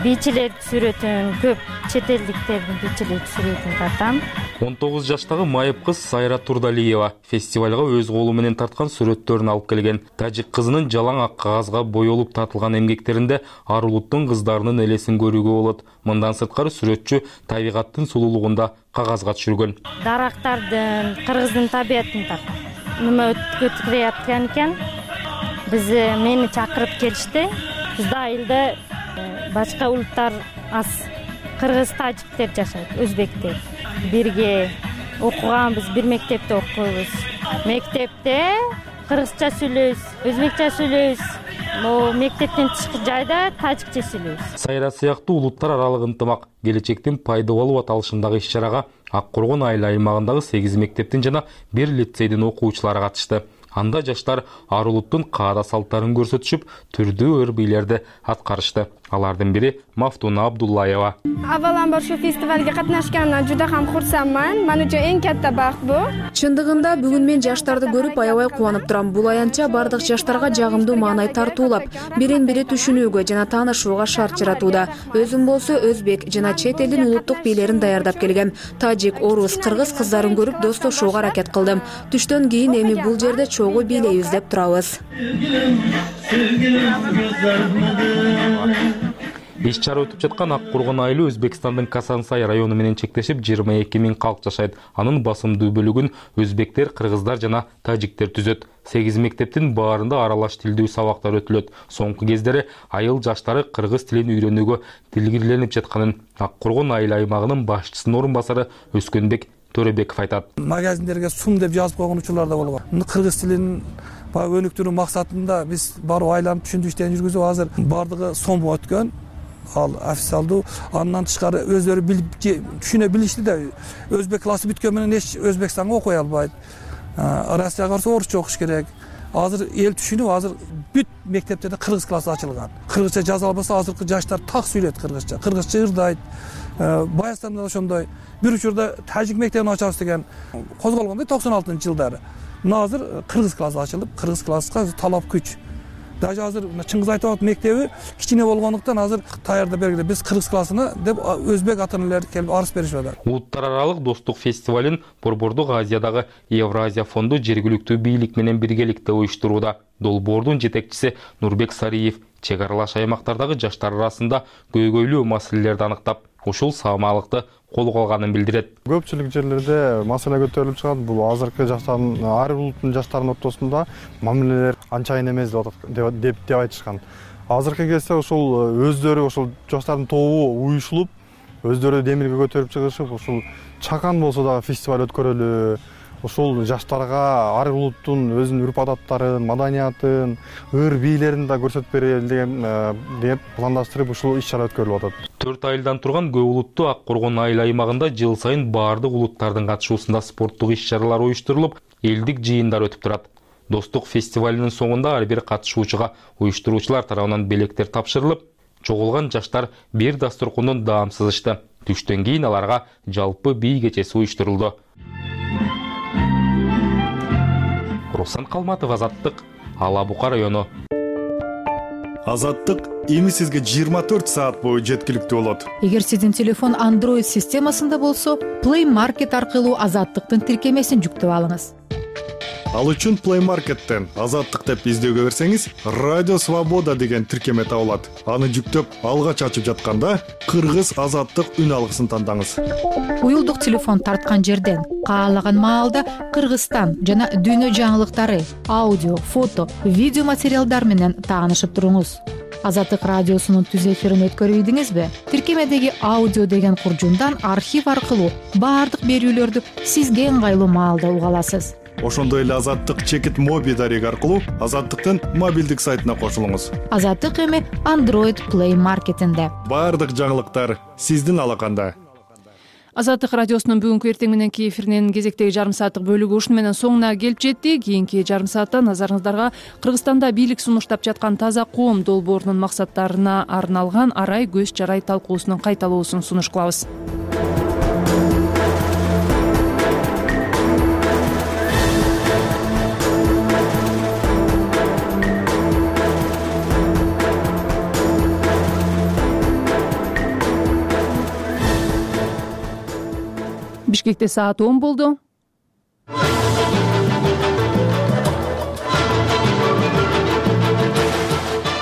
бийчилер сүрөтүн, көп чет элдиктердин бийчилер сүрөтүн тартам. 19 жаштагы майып кыз Сайра Турдалиева фестивалга өз колу менен тарткан сүрөттөрүн алып келген. Тажик кызынын жалаң ак кагазга боелуп тартылган эмгектеринде ар улуттун кыздарынын элесин көрүүгө болот. Мындан сырткары сүрөтчү табигаттын сулуулугунда кагазга түшүргөн. Дарактардын, кыргыздын табиятын тарткан. Нема өткөрүп экен? Мени чакырып келишти. Бизде айылда башка улуттар аз. Кыргыз, тажиктер жашайт, өзбектер. Бирге окуганбыз, бир мектепте окуйбуз. Мектепте кыргызча сүйлөйбүз, өзбекче сүйлөйбүз. Мектептен тышкы жайда тажикче сүйлөйбүз. Сайра сыяктуу улуттар аралык ынтымак келечектин пайдалуу аталышындагы иш-чарага Ак Коргон айыл аймагындагы 8 мектептин жана 1 лицейдин окуучулары катышты. Анда жаштар ар улуттун каада салттарын көрсөтүшүп, түрдүү ыр бийлерди аткарышты. Алардын бири Мафтуна Абдуллаева. Аваламбар ушу фестивалга катнашканымдан жуда ham курсамман. Мен үчүн эң катта бакыт бу. Чындыгында бүгүн мен жаштарды көрүп аябай кубанып турам. Бул аянтча бардык жаштарга жагымдуу маанай тартуулап, бирин-бири түшүнүүгө жана таанышууга шарт жаратууда. Өзүм болсо өзбек жана чет элдин улуттук бийлерин даярдап келгем. Тажик, орус, кыргыз кыздарын көрүп достошууга аракет кылдым. Түштөн кийин эми бул жерде чогуу бийлейбиз деп турабыз. Иш-чара өтүп жаткан Ак Коргон айылы Өзбекстандын Касансай району менен чектешип 22 миң калк жашайт. Анын басымдуу бөлүгүн өзбектер, кыргыздар жана тажиктер түзөт. 8 мектептин баарында аралаш тилдүү сабактар өтүлөт. Соңку кездери айыл жаштары кыргыз тилин үйрөнүүгө тилгирленип жатканын Ак Коргон айыл аймагынын башчысынын орун басары Өскөнбек Төрөбеков айтат. Магазиндерге сум деп жазып койгон учурлар да болгон. Кыргыз тилин өнүктүрүү максатында биз барып айланып түшүндүрүү иштерин жүргүзүп, азыр бардыгы сом өткөн. Ал официалдуу, андан тышкары өздөрү билип түшүнө билишти да. Өзбек классы бүткөн менен эч Өзбекстанга окуй албайт. Россияга барса орусча окуш керек. Азыр эл түшүнүп, азыр бүт мектептерде кыргыз классы ачылган. Кыргызча жаза албаса азыркы жаштар так сүйлөйт кыргызча. Кыргызча ырдайт. Баястанда да ошондой. Бир учурда тажик мектебин ачабыз деген козголгондой 96-жылдары. Мына азыр кыргыз классы ачылып, кыргыз класска талап күч. Даже азыр Чыңгыз Айтбаев мектеби кичине болгондуктан азыр даярдап бергиле. Биз кыргыз классына деп өзбек ата-энелер келип арыз беришип атат. Улуттар аралык достук фестивалын Борбордук Азиядагы Евразия фонду жергиликтүү бийлик менен биргеликте уюштурууда. Долбоордун жетекчиси Нурбек Сариев чек аралаш аймактардагы жаштар арасында көйгөйлүү маселелерди аныктап, ушул саамалыкты колго алганын билдирет. Көпчүлүк жерлерде маселе көтөрүлүп чыгат. Бул азыркы жаштардын, ар улуттун жаштарынын ортосунда мамилелер анчайын эмес деп айтышкан. Азыркы кезде ушул өздөрү ушул жаштардын тобу уюшулуп, өздөрү демирге көтөрүп чыгышып, ушул чакан болсо дагы фестиваль өткөрөлү. Ушул жаштарга ар улуттун өзүнүн үрп-адаттарын, маданиятын, ыр бийлерин да көрсөтүп берели деп пландаштырып ушул иш-чара өткөрүлүп атат. 4 айылдан турган көп улуттуу Ак Коргон айыл аймагында жыл сайын баардык улуттардын катышуусунда спорттук иш-чаралар уюштурулуп, элдик жыйындар өтүп турат. Достук фестивалынын соңунда ар бир катышуучуга уюштуруучулар тарабынан белектер тапшырылып, чогулган жаштар бир дасторкондон даам сызышты. Түштөн кийин аларга жалпы бий кечеси уюштурулду. Руслан Калматов, Азаттык, Ала Бука району. Азаттык эми сизге 24 саат бою жеткиликтүү болот. Эгер сиздин телефон Android системасында болсо, Play Market аркылуу Азаттыктын тиркемесин жүктөп алыңыз. Ал үчүн Play Market'тен Азаттык деп издөөгө берсеңиз, Радио Свобода деген тиркеме табылат. Аны жүктөп, алгач ачып жатканда Кыргыз Азаттык үн алгысын тандаңыз. Уюлдук телефон тарткан жерден каалаган маалда Кыргызстан жана дүйнө жаңылыктары, аудио, фото, видео материалдар менен таанышып туруңуз. Азаттык радиосунун түз эфирин өткөрүбүдүңүзбү? Тиркемедеги аудио деген куржундан архив аркылуу баардык берүүлөрдү сизге ыңгайлуу маалда уга аласыз. Ошондой эле Азаттык чекит моби дареги аркылуу Азаттыктын мобилдик сайтына кошулуңуз. Азаттык эми Android Play Marketинде. Баардык жаңылыктар сиздин алаканда. Азаттык радиосунун бүгүнкү эртең мененки эфиринин кезектеги жарым сааттык бөлүгү ушуну менен соңуна келип жетти. Кийинки жарым саатта назарыңыздарга Кыргызстанда бийлик сунуштап жаткан таза коом долбоорунун максаттарына арналган арай көз жарай талкуусунун кайталоосун сунуш кылабыз. Бишкекте саат 10 болду.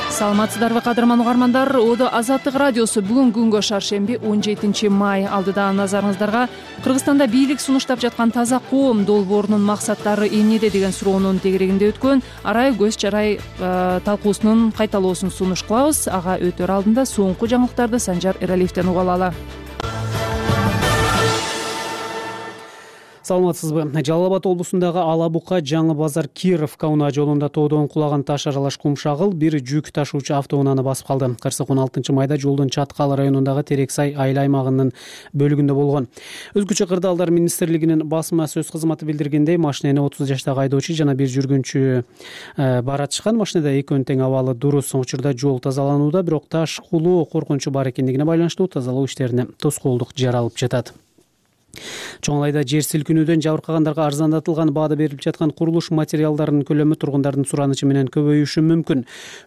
Саламатсыздарбы кадырман угармандар? Одо Азаттык радиосу бүгүн күнгө шаршемби 17 май алдыда назарыңыздарга Кыргызстанда бийлик сунуштап жаткан таза коом долбоорунун максаттары эмнеде деген суроонун тегерегинде өткөн арай көз жарай талкуусунун кайталоосун сунуш кылабыз. Ага өтөр алдында соңку жаңылыктарды Санжар Эралиевден уга алалы. Саламатсызбы? Жалал Абад облусундагы Ала Бука Жаңы базар Киров Кауна жолунда тоодон кулаган таш аралаш кумшагыл бир жүк ташуучу автоунааны басып калды. Кырсык 16 майда жолдун Чаткал районундагы Терексай айыл аймагынын бөлүгүндө болгон. Өзгөчө кырдаалдар министрлигинин басма сөз кызматы билдиргендей, машинени 30 жаштагы айдоочу жана бир жүргүнчү баратышкан. Машинада экөөнүн тең абалы дурус. Учурда жол тазаланууда, бирок таш кулуу коркунучу бар экендигине байланыштуу тазалоо иштерине тоскоолдук жаралып жатат. Чоңлайда жер силкинүүдөн жабыркагандарга арзандатылган баада берилип жаткан курулуш материалдарынын көлөмү тургундардын суранычы менен көбөйүшү мүмкүн.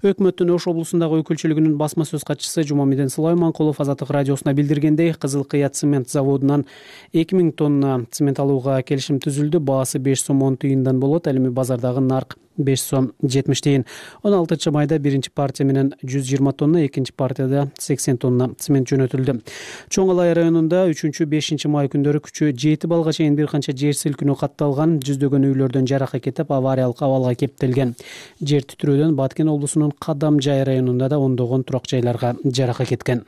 Өкмөттүн Ош облусундагы өкүлчүлүгүнүн басма сөз катчысы Жумамеден Сулайманкулов Азаттык радиосуна билдиргендей, Кызыл Кыя цемент заводунан 2000 тонна цемент алууга келишим түзүлдү. Баасы 5 сом 10 тыйындан болот. Ал эми базардагы нарк 5 сом 70 тыйын. 16 майда биринчи партия менен 120 тонна, экинчи партияда 80 тонна цемент жөнөтүлдү. Чоң Алай районунда 3-5 май күндөрү күчү 7 балга чейин бир канча жер силкинүү катталган, жүздөгөн үйлөрдөн жарака кетип, авариялык абалга кептелген. Жер титирөөдөн Баткен облусунун Кадамжай районунда да ондогон турак жайларга жарака кеткен.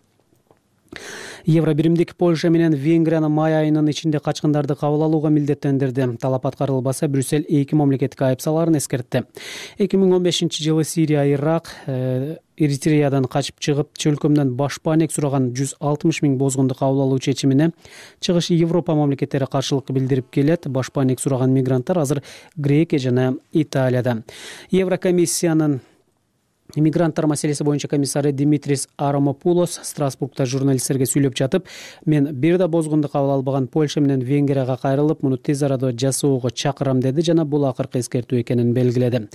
Евробиримдик Польша менен Венгрияны май айынын ичинде качкындарды кабыл алууга милдеттендирди. Талап аткарылбаса, Брюссель 2 мамлекетке айып салаарын эскертти. 2015-жылы Сирия, Ирак, Эритреядан качып чыгып, чөлкөмдөн башпаанек сураган 160 000 бозгунду кабыл алуу чечимине чыгыш Европа мамлекеттери каршылык билдирип келет. Башпаанек сураган мигранттар азыр Грекия жана Италияда. Еврокомиссиянын Мигранттар маселеси боюнча комиссары Димитрис Арамопулос Страсбургда журналисттерге сүйлөп жатып, мен бир да бозгунду кабыл албаган Польша менен Венгрияга кайрылып, муну тез арада жасоого чакырам деди жана бул акыркы эскертүү экенин белгиледи.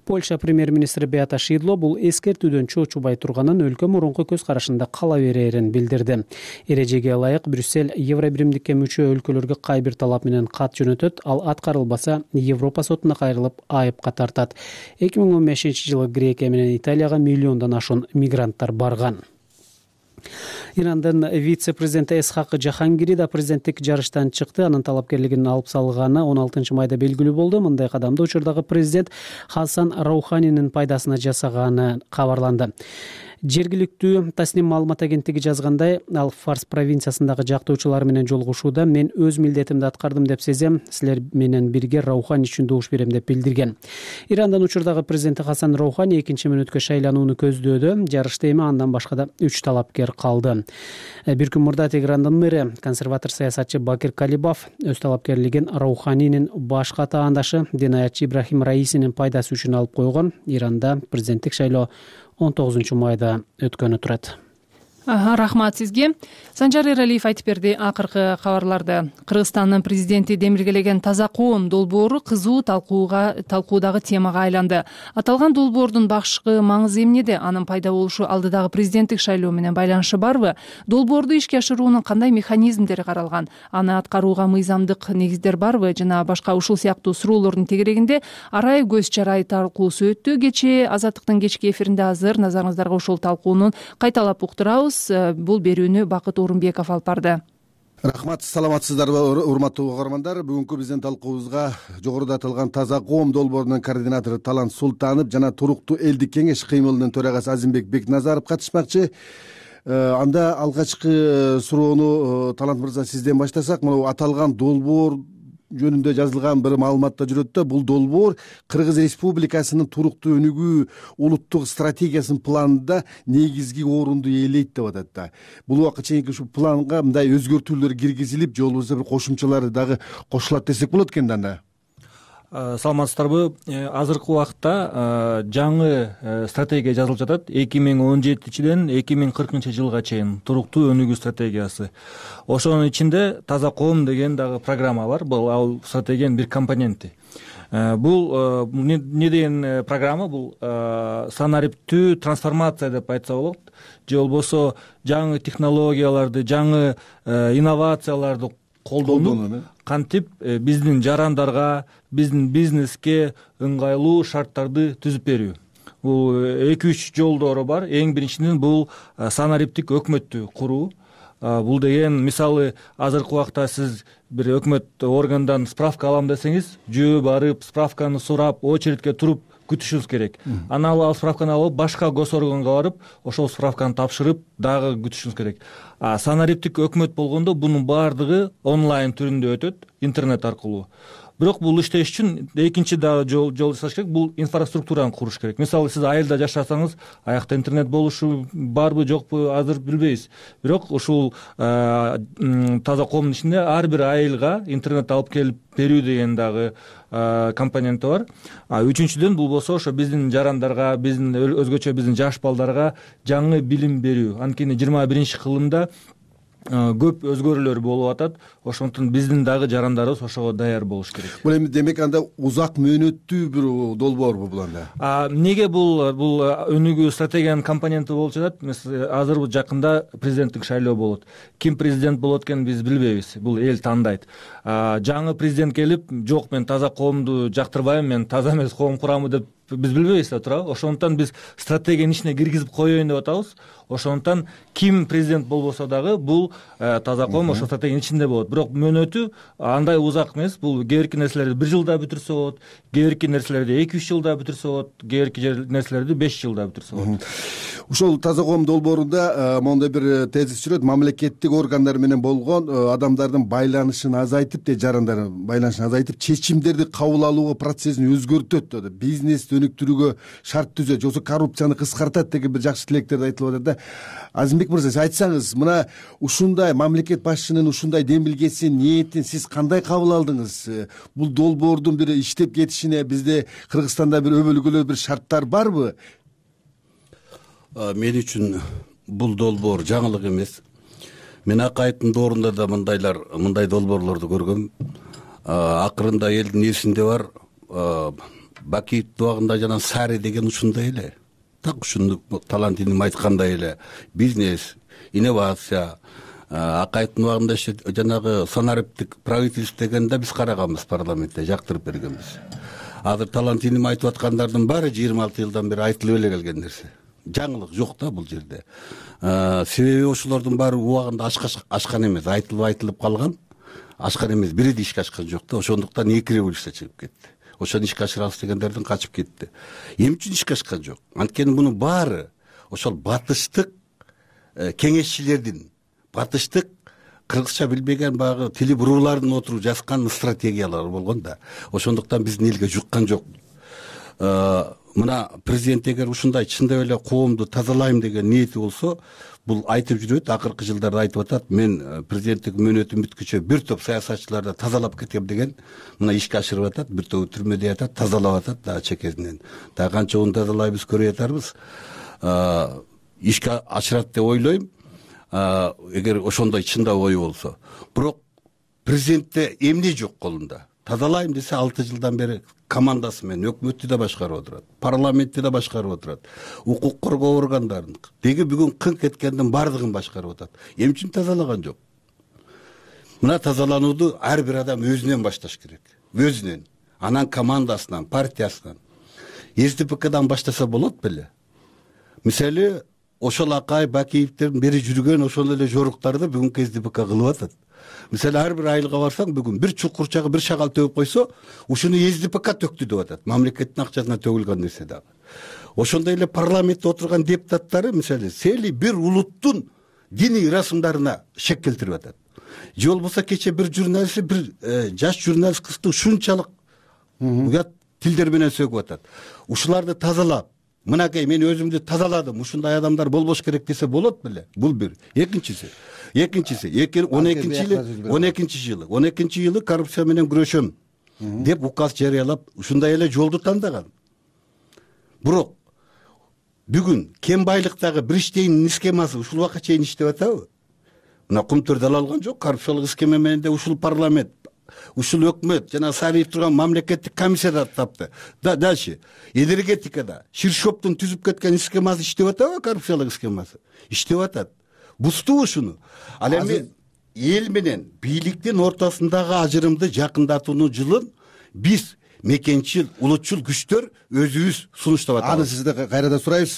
Польша премьер-министри Беата Шидло бул эскертүүдөн чочубай турганын, өлкө мурунку көз карашында кала берерин билдирди. Эрежеге ылайык Брюссель Евробиримдикке мүчө өлкөлөргө кай бир талап менен кат жөнөтөт, ал аткарылбаса Европа сотуна кайрылып айыпка тартат. 2015-жылы Грекия менен Италияга миллиондон ашуун мигранттар барган. Ирандын вице-президенти Эсхак Жахангири да президенттик жарыштан чыкты. Анын талапкерлигин алып салганы 16 майда белгилүү болду. Мындай кадамды учурдагы президент Хасан Рауханинин пайдасына жасаганы кабарланды. Жергиликтүү Тасним маалымат агенттиги жазгандай, ал Фарс провинциясындагы жактоочулар менен жолугушууда мен өз милдетимди аткардым деп сезем, силер менен бирге Раухани үчүн добуш берем деп билдирген. Ирандын учурдагы президенти Хасан Раухани 2-мүнөткө шайланууну көздөөдө. Жарышта эми андан башка да 3 талапкер калды. Бир күн мурда Теграндын мэри, консерватор саясатчы Бакир Калибаф өз талапкерлигин Рауханинин башка таандашы Динаятчы Ибрахим Раисинин пайдасы үчүн алып койгон. Иранда президенттик шайлоо 19 майда өткөнү турат. Рахмат сизге. Санжар Эралиев айтып берди акыркы кабарларды. Кыргызстандын президенти демилгелеген таза коом долбоору кызуу талкуудагы темага айланды. Аталган долбоордун башкы маңызы эмнеде? Анын пайда болушу алдыдагы президенттик шайлоо менен байланышы барбы? Долбоорду ишке ашыруунун кандай механизмдери каралган? Аны аткарууга мыйзамдык негиздер барбы? Жана башка ушул сыяктуу суроолордун тегерегинде арай көз жарай талкуусу өттү. Кечээ Азаттыктын кечки эфиринде азыр назарыңыздарга ушул талкуунун кайталап уктурабыз. Бул берүүнү Бакыт Орунбеков алып барды. Рахмат, саламатсыздарбы урматтуу угармандар. Бүгүнкү биздин талкуубузга жогоруда аталган Таза коом долбоорунун координатору Талант Султанов жана Туруктуу элдик кеңеш кыймылынын төрагасы Азимбек Бекназаров катышмакчы. Анда алгачкы суроону Талант мырза сизден баштасак, мына аталган долбоор жөнүндө жазылган бир маалыматта жүрөт да, бул долбоор Кыргыз Республикасынын туруктуу өнүгүү улуттук стратегиясынын планында негизги орунду ээлейт деп атат да. Бул убакка чейинки ушу планга мындай өзгөртүүлөр киргизилип, же болбосо бир кошумчалары дагы кошулат десек болот экен да анда. Саламатсыздарбы? Азыркы убакта жаңы стратегия жазылып жатат. 2017-ден 2040 жылга чейин туруктуу өнүгүү стратегиясы. Ошонун ичинде Таза коом деген дагы программа бар. Бул ал стратегиянын бир компоненти. Бул эмне деген программа? Бул санариптүү трансформация деп айтса болот. Же болбосо жаңы технологияларды, жаңы инновацияларды колдонуп, кантип биздин жарандарга, биздин бизнеске ыңгайлуу шарттарды түзүп берүү. Бул 2-3 жолдору бар. Эң биринчиден бул санариптик өкмөттү куруу. Бул деген, мисалы, азыркы убакта сиз бир өкмөт органдан справка алам десеңиз, жөө барып, справканы сурап, очередке туруп күтүшүңүз керек. Анан ал справканы алып, башка госорганга барып, ошол справканы тапшырып, дагы күтүшүңүз керек. Санариптик өкмөт болгондо бунун баардыгы онлайн түрүндө өтөт, интернет аркылуу. Бирок бул иштеш үчүн экинчи дагы жол жасаш керек, бул инфраструктураны куруш керек. Мисалы, сиз айылда жашасаңыз, аякта интернет болушу барбы, жокпу, азыр билбейбиз. Бирок ушул Таза коомдун ичинде ар бир айылга интернет алып келип берүү деген дагы компоненти бар. Үчүнчүдөн бул болсо ошо биздин жарандарга, биздин өзгөчө биздин жаш балдарга жаңы билим берүү. Анткени 21-кылымда көп өзгөрүүлөр болуп атат. Ошондуктан биздин дагы жарандарыбыз ошого даяр болуш керек. Бул эми демек анда узак мөөнөттүү бир долбоорбу бул анда? Неге бул өнүгүү стратегиянын компоненти болуп жатат? Азыр жакында президенттик шайлоо болот. Ким президент болот экенин биз билбейбиз. Бул эл тандайт. Жаңы президент келип, жок, мен Таза коомду жактырбайм, мен таза эмес коом курамы деп биз билбейбиз да, туурабы? Ошондуктан биз стратегиянын ичине киргизип коеюн деп атабыз. Ошондуктан ким президент болбосо дагы бул Таза коом ошо стратегиянын ичинде болот. Бирок мөөнөтү андай узак эмес. Бул кээ бирки нерселерди 1 жылда бүтүрсө болот, кээ бирки нерселерди 2-3 жылда бүтүрсө болот, кээ бирки нерселерди 5 жылда бүтүрсө болот. Ушул Таза коом долбоорунда моундай бир тезис жүрөт. Мамлекеттик органдар менен болгон адамдардын байланышын азайтып, жарандардын байланышын азайтып, чечимдерди кабыл алуу процессин өзгөртөт деп, бизнести өнүктүрүүгө шарт түзөт, жоксо коррупцияны кыскартат деген бир жакшы тилектерди айтылып атат да. Азимбек мырза, сиз айтсаңыз, мына ушундай мамлекет башчынын ушундай демилгесин, ниетин сиз кандай кабыл алдыңыз? Бул долбоордун бир иштеп кетишине бизде Кыргызстанда бир өбөлгөлүү бир шарттар барбы? Мен үчүн бул долбоор жаңылык эмес. Мен акайыттын доорунда да мындай долбоорлорду көргөм. Акырында элдин эсинде бар, Бакиевдин убагында жана Сари деген ушундай эле. Так ушуну Талант иним айткандай эле бизнес, инновация, акайыттын убагында жанагы санариптик правительство дегенде биз караганбыз парламентте, жактырып бергенбиз. Азыр Талант иним айтып аткандардын баары 26 жылдан бери айтылып эле келген нерсе. Жаңылык жок да бул жерде. Себеби ошолордун баары убагында ашкан эмес, айтылып калган. Ашкан эмес, бири да ишке ашкан жок да. Ошондуктан 2 революция чыгып кетти. Ошону ишке ашырабыз дегендердин качып кетти. Эмне үчүн ишке ашкан жок? Анткени мунун баары ошол батыштык кеңешчилердин, батыштык кыргызча билбеген баягы тили буруулардын отуруп жазган стратегиялар болгон да. Ошондуктан биздин элге жуккан жок. Мына президент эгер ушундай чындап эле коомду тазалайм деген ниети болсо, бул айтып жүрөт, акыркы жылдарда айтып атат, мен президенттик мөөнөтүм бүткүчө бир топ саясатчыларды тазалап кетем деген, мына ишке ашырып атат, бир тобу түрмөдө ятат, тазалап атат да чекесинен. Да канча тазалайбыз көрүп атарбыз. Ишке ашырат деп ойлойм, эгер ошондой чындап ою болсо. Бирок президентте эмне жок колунда? Тазалайм десе 6 жылдан бери командасы менен өкмөттү да башкарып отурат, парламентти да башкарып отурат, укук коргоо органдарын, деги бүгүн кыңк эткендин баардыгын башкарып атат. Эмне үчүн тазалаган жок? Мына тазаланууду ар бир адам өзүнөн башташ керек. Өзүнөн, анан командасынан, партиясынан. СДПКдан баштаса болот беле? Мисалы, ошол Акай Бакиевдин бери жүргөн ошол эле жоруктарды бүгүнкү СДПК кылып атат. мисалы ар бир айылга барсаң бүгүн бир чукурчагы бир шагал төгүп койсо ушуну СДПК төктү деп атат, мамлекеттин акчасына төгүлгөн нерсе дагы. Ошондой эле парламентте отурган депутаттары мисалы сели бир улуттун диний ырасымдарына шек келтирип атат. Же болбосо кече бир журналист, бир жаш журналист кызды ушунчалык уят тилдер менен сөгүп атат. Ушуларды тазалап, мынакей мен өзүмдү тазаладым, ушундай адамдар болбош керек десе болот беле? Бул бир. Экинчиси 12 жылы коррупция менен күрөшөм деп указ жарыялап, ушундай эле жолду тандаган. Бирок бүгүн кем байлыктагы бир иштейн схемасы ушул убакка чейин иштеп атабы? Мына Кумтөрдө алган жок, коррупциялык схема менен де ушул парламент, ушул өкмөт жана Сариев турган мамлекеттик комиссияда тапты. Дальше энергетикада Ширшоптун түзүп кеткен схемасы иштеп атабы, коррупциялык схемасы? Иштеп атат. Бузтубу ушуну? Ал эми эл менен бийликтин ортосундагы ажырымды жакындатуунун жылын биз мекенчил, улутчул күчтөр өзүбүз сунуштап атабыз. Аны сизден кайрадан сурайбыз.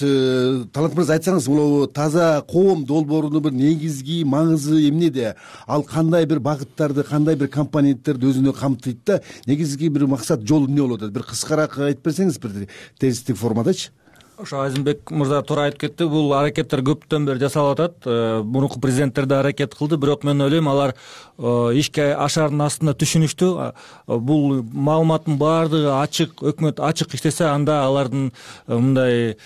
Талант мырза, айтсаңыз, бул таза коом долбоорунун бир негизги маңызы эмнеде? Ал кандай бир багыттарды, кандай бир компоненттерди өзүнө камтыйт да, негизги бир максат, жол эмне болот? Бир кыскараак айтып берсеңиз, бир тезистик формадачы. Ошо Азимбек мырза туура айтып кетти. Бул аракеттер көптөн бери жасалып атат. Мурунку президенттер да аракет кылды, бирок мен ойлойм алар ишке ашардын астында түшүнүштү. Бул маалыматтын баардыгы ачык, өкмөт ачык иштесе, анда алардын мындай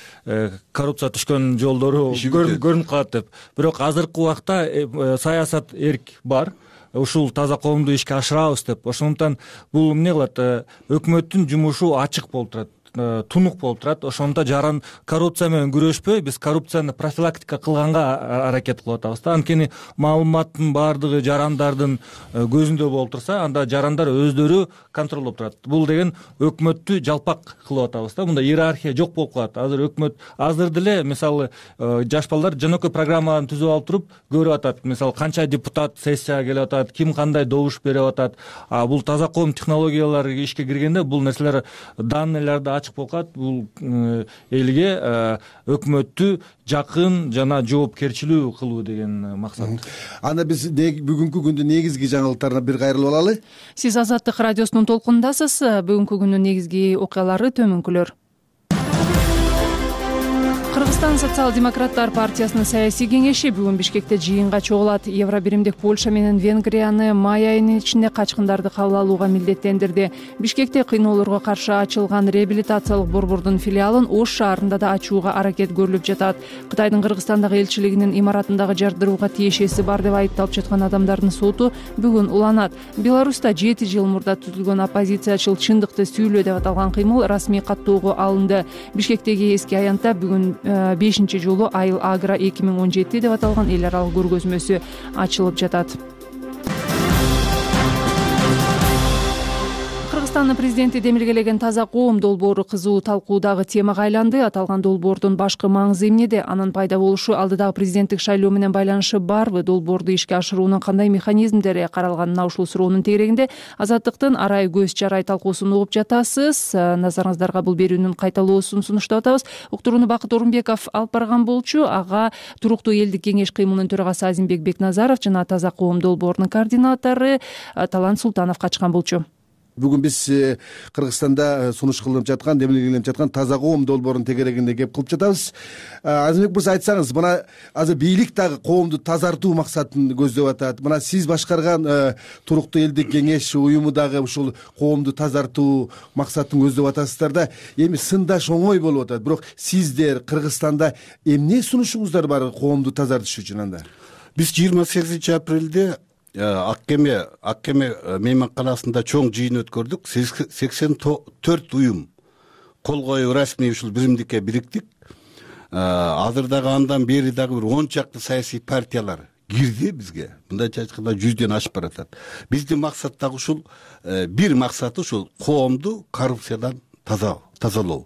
коррупция түшкөн жолдору көрүнүп калат деп. Бирок азыркы убакта саясат эрк бар. Ушул таза коомду ишке ашырабыз деп. Ошондуктан бул эмне кылат? Өкмөттүн жумушу ачык болуп турат, тунук болуп турат. Ошондо коррупция менен күрөшпөй, биз коррупцияны профилактика кылганга аракет кылып атабыз да. Анткени маалыматтын баардыгы жарандардын көзүндө болуп турса, анда жарандар өздөрү контролдоп турат. Бул деген өкмөттү жалпак кылып атабыз да. Мында иерархия жок болуп калат. Азыр өкмөт азыр деле мисалы жаш балдар жөнөкөй программаны түзүп алып туруп көрүп атат. Мисалы канча депутат сессияга келип атат, ким кандай добуш берип атат. Бул таза коом технологиялары ишке киргенде бул нерселер данныйларда ачык болуп калат. Бул элге өкмөттү жакын жана жоопкерчилүү кылуу деген максат. Анда биз бүгүнкү күндүн негизги жаңылыктарына бир кайрылып алалы. Сиз Азаттык радиосунун толкунундасыз. Бүгүнкү күндүн негизги окуялары төмөнкүлөр. Кыргызстан социал-демократтар партиясынын саясий кеңеши бүгүн Бишкекте жыйынга чогулат. Евробиримдик Польша менен Венгрияны май айынын ичинде качкындарды кабыл алууга милдеттендирди. Бишкекте кыйноолорго каршы ачылган реабилитациялык борбордун филиалын Ош шаарында да ачууга аракет көрүлүп жатат. Кытайдын Кыргызстандагы элчилигинин имаратындагы жардырууга тиешеси бар деп айыпталып жаткан адамдардын соту бүгүн уланат. Беларуста 7 жыл мурда түзүлгөн оппозициячыл чындыкты сүйлөө деп аталган кыймыл расмий каттоого алынды. Бишкектеги эски аянтта бүгүн 5 жолу Айыл Агро 2017 деп аталган эл аралык көргөзмөсү ачылып жатат. Кыргызстандын президенти демилгелеген таза коом долбоору кызуу талкуудагы темага айланды. Аталган долбоордун башкы маңызы эмнеде? Анын пайда болушу алдыдагы президенттик шайлоо менен байланышы барбы? Долбоорду ишке ашыруунун кандай механизмдери каралганына ушул суроонун тегерегинде Азаттыктын арай көз жарай талкуусун угуп жатасыз. Назарыңыздарга бул берүүнүн кайталоосун сунуштап атабыз. Уктурууну Бакыт Орунбеков алып барган болчу. Ага туруктуу элдик кеңеш кыймылынын төрагасы Азимбек Бекназаров жана таза коом долбоорунун координатору Талант Султанов катышкан болчу. Бүгүн биз Кыргызстанда сунуш кылынып жаткан, демилгеленип жаткан таза коом долбоорунун тегерегинде кеп кылып жатабыз. Азимбек мырза, айтсаңыз, мына азыр бийлик дагы коомду тазартуу максатын көздөп атат. Мына сиз башкарган туруктуу элдик кеңеш уюму дагы ушул коомду тазартуу максатын көздөп атасыздар да. Эми сындаш оңой болуп атат. Бирок сиздер Кыргызстанда эмне сунушуңуздар бар коомду тазартыш үчүн анда? Биз 28 апрелде Ак кеме мейманканасында чоң жыйын өткөрдүк. 84 уюм кол коюп расмий ушул биримдикке бириктик. Азыр дагы андан бери дагы бир 10 чакты саясий партиялар кирди бизге. Мындайча айтканда 100ден ашып баратат. Биздин максат дагы ушул, бир максаты ушул коомду коррупциядан тазалоо.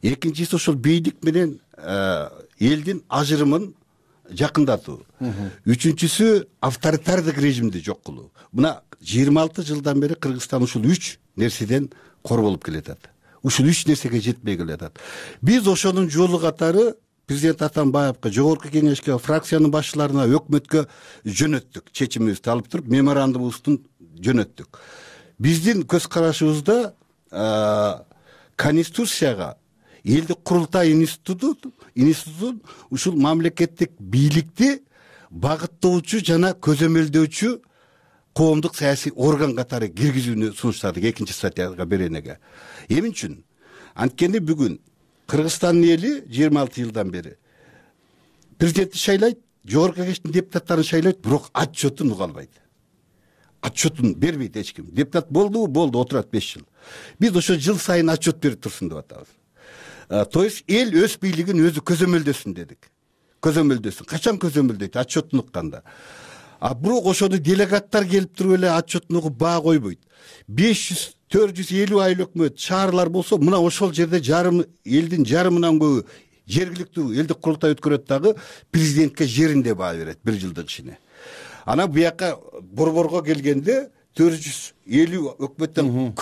Экинчиси ушул бийлик менен элдин ажырымын жакындатуу. Үчүнчүсү авторитардык режимди жок кылуу. Мына 26 жылдан бери Кыргызстан ушул 3 нерседен кор болуп келатат. Ушул 3 нерсеге жетпей келатат. Биз ошонун жолу катары президент Атамбаевка, жогорку кеңешке, фракциянын башчыларына, өкмөткө жөнөттүк. Чечимибизди алып туруп, меморандумубузду жөнөттүк. Биздин көз карашыбызда Конституцияга элдик курултай институтун ушул мамлекеттик бийликти багыттоочу жана көзөмөлдөөчү коомдук саясий орган катары киргизүүнү сунуштадык 2-статьяга беренеге. Эмне үчүн? Анткени бүгүн Кыргызстандын эли 26 жылдан бери президентти шайлайт, жогорку кеңештин депутаттарын шайлайт, бирок отчетун уга албайт. Отчетун бербейт эч ким. Депутат болдубу? Болду, отурат 5 жыл. Биз ошо жыл сайын отчет берип турсун деп атабыз. То есть эл өз бийлигин өзү көзөмөлдөсүн дедик. Көзөмөлдөсүн. Качан көзөмөлдөйт? Отчетун укканда. Бирок ошону делегаттар келип туруп эле отчетун угуп баа койбойт. 500-450 айыл өкмөт, шаарлар болсо, мына ошол жерде элдин жарымынан көбү жергиликтүү элдик курултай өткөрөт дагы президентке жеринде баа берет 1 жылдык ичине. Ана буяка борборго келгенде 450 өкмөттөн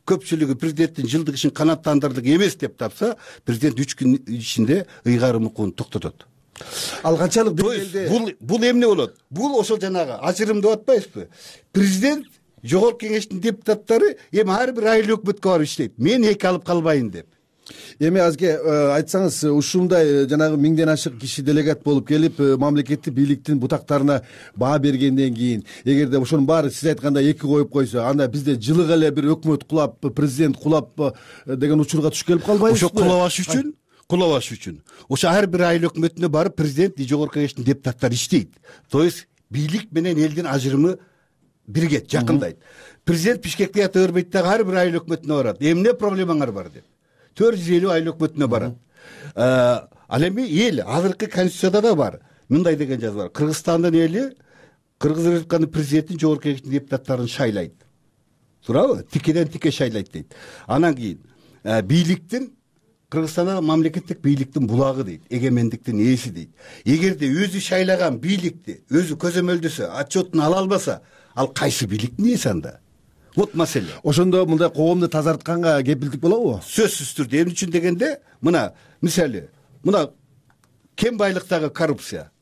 көпчүлүгү президенттин жылдык ишин канааттандырдык эмес деп тапса, президент 3 күн ичинде ыйгарым укугун токтотот. Ал канчалык деңгээлде бул эмне болот? Бул ошол жанагы ажырым деп атпайбызбы? Президент жогорку кеңештин депутаттары эми ар бир айыл өкмөткө барып иштейт. Мен эки алып калбайын деп. Эми азге айтсаңыз, ушундай жанагы 1000ден ашык киши делегат болуп келип, мамлекеттик бийликтин бутактарына баа бергенден кийин, эгерде ошонун баары сиз айткандай эки коюп койсо, анда бизде жылык эле бир өкмөт кулап, президент кулап деген учурга туш келип калбайбызбы? Ошо кулабаш үчүн ошо ар бир айыл өкмөтүнө барып президент, жогорку кеңештин депутаттары иштейт. То есть бийлик менен элдин ажырымы биригет, жакындайт. Президент Бишкекке ята бербейт дагы ар бир айыл өкмөтүнө барат. Эмне проблемаңар бар деп. 450 айыл өкмөтүнө барат. Ал эми эл азыркы конституцияда да бар. Мындай деген жазуу бар. Кыргызстандын эли Кыргыз Республикасынын президентин, жогорку кеңештин депутаттарын шайлайт. Туурабы? Тикеден тике шайлайт дейт. Анан кийин бийликтин Кыргызстанда мамлекеттик бийликтин булагы дейт, эгемендиктин ээси дейт. Эгерде өзү шайлаган бийликти өзү көзөмөлдөсө, отчетун ала албаса, ал кайсы бийликтин ээси анда? Вот маселе. Ошондо мындай коомду тазартканга кепилдик болобу? Сөзсүз түрдө. Эмне үчүн дегенде, мына мисалы, мына кем байлыктагы коррупция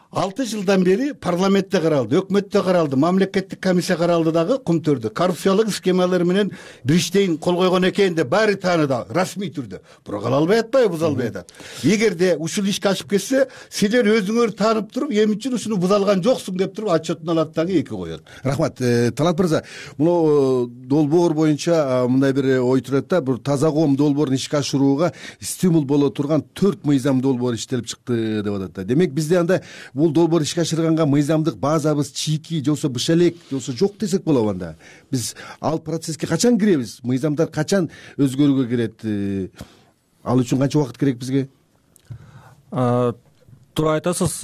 6 жылдан бери парламентте каралды, өкмөттө каралды, мамлекеттик комиссия каралды дагы кумтөрдө. Коррупциялык схемалар менен Бриштейн кол койгон экен деп баары тааныда, расмий түрдө. Бирок ала албай атпайбы, буза албай атат. Эгерде ушул ишке ашып кетсе, силер өзүңөр таанып туруп, эмне үчүн ушуну буза алган жоксуң деп туруп отчетун алат дагы эки коет. Рахмат. Талант мырза, муну долбоор боюнча мындай бир ой турат да, бир таза коом долбоорун ишке ашырууга стимул боло турган 4 мыйзам долбоор иштелип чыкты деп атат. Демек бизде анда бул долбоор ишке ашырганга мыйзамдык базабыз чийки же болбосо быш элек же болбосо жок десек болобу анда? Биз ал процесске качан киребиз? Мыйзамдар качан өзгөрүүгө кирет? Ал үчүн канча убакыт керек бизге? Туура айтасыз.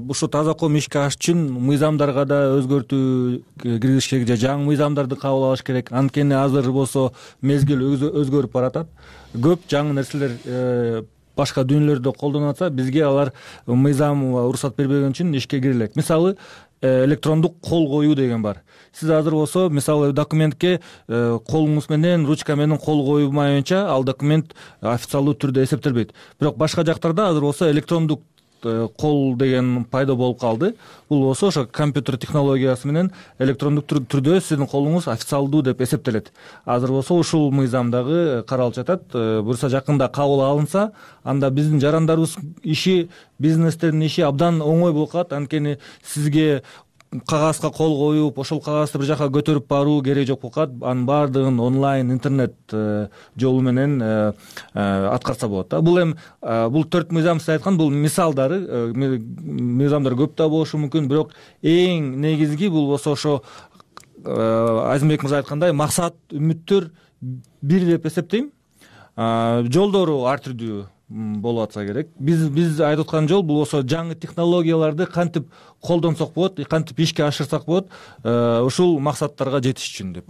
Ушу таза коом ишке ашыш үчүн мыйзамдарга да өзгөртүү киргизиш керек же жаңы мыйзамдарды кабыл алыш керек. Анткени азыр болсо мезгил өзгөрүп баратат. Көп жаңы нерселер башка дүйнөлөрдө колдонуп атса, бизге алар мыйзам уруксат бербеген үчүн ишке кире элек. Мисалы, электрондук кол коюу деген бар. Сиз азыр болсо, мисалы, документке колуңуз менен, ручка менен кол коюлмайынча, ал документ официалдуу түрдө эсептелбейт. Бирок башка жактарда азыр болсо электрондук кол деген пайда болуп калды. Бул болсо ошо компьютер технологиясы менен электрондук түрдө сиздин колуңуз официалдуу деп эсептелет. Азыр болсо ушул мыйзам дагы каралып жатат. Буюрса жакында кабыл алынса, анда биздин жарандарыбыз иши, бизнестердин иши абдан оңой болуп калат. Анткени сизге кагазга кол коюп, ошол кагазды бир жака көтөрүп баруу керек жок болуп калат. Анын баардыгын онлайн, интернет жолу менен аткарса болот да. Бул эми бул 4 мыйзам сиз айткан, бул мисалдары, мыйзамдар көп да болушу мүмкүн, бирок эң негизги бул болсо ошо Азимбек мырза айткандай максат, үмүттөр бир деп эсептейм. Жолдору ар түрдүү болуп атса керек. Биз айтып аткан жол бул болсо жаңы технологияларды кантип колдонсок болот, кантип ишке ашырсак болот, ушул максаттарга жетиш үчүн деп.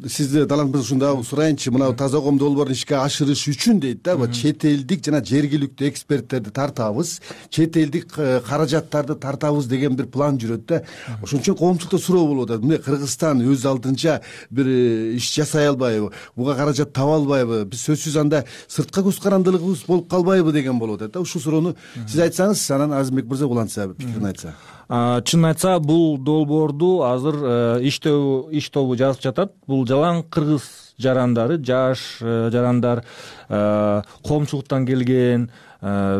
Сизди Талант мырза ушунда сурайынчы, мына таза коом долбоорун ишке ашырыш үчүн дейт да, чет элдик жана жергиликтүү эксперттерди тартабыз, чет элдик каражаттарды тартабыз деген бир план жүрөт да. Ошон үчүн коомчулукта суроо болуп атат. Мына Кыргызстан өз алдынча бир иш жасай албайбы, буга каражат таба албайбы? Биз сөзсүз анда сырткы көз карандылыгыбыз болуп калбайбы деген болуп атат да. Ушул суроону сиз айтсаңыз, анан Азимбек мырза улантса, пикирин айтса. Чынын айтса, бул долбоорду азыр иш тобу жазып жатат. Бул жалаң кыргыз жарандары, жаш жарандар, коомчулуктан келген,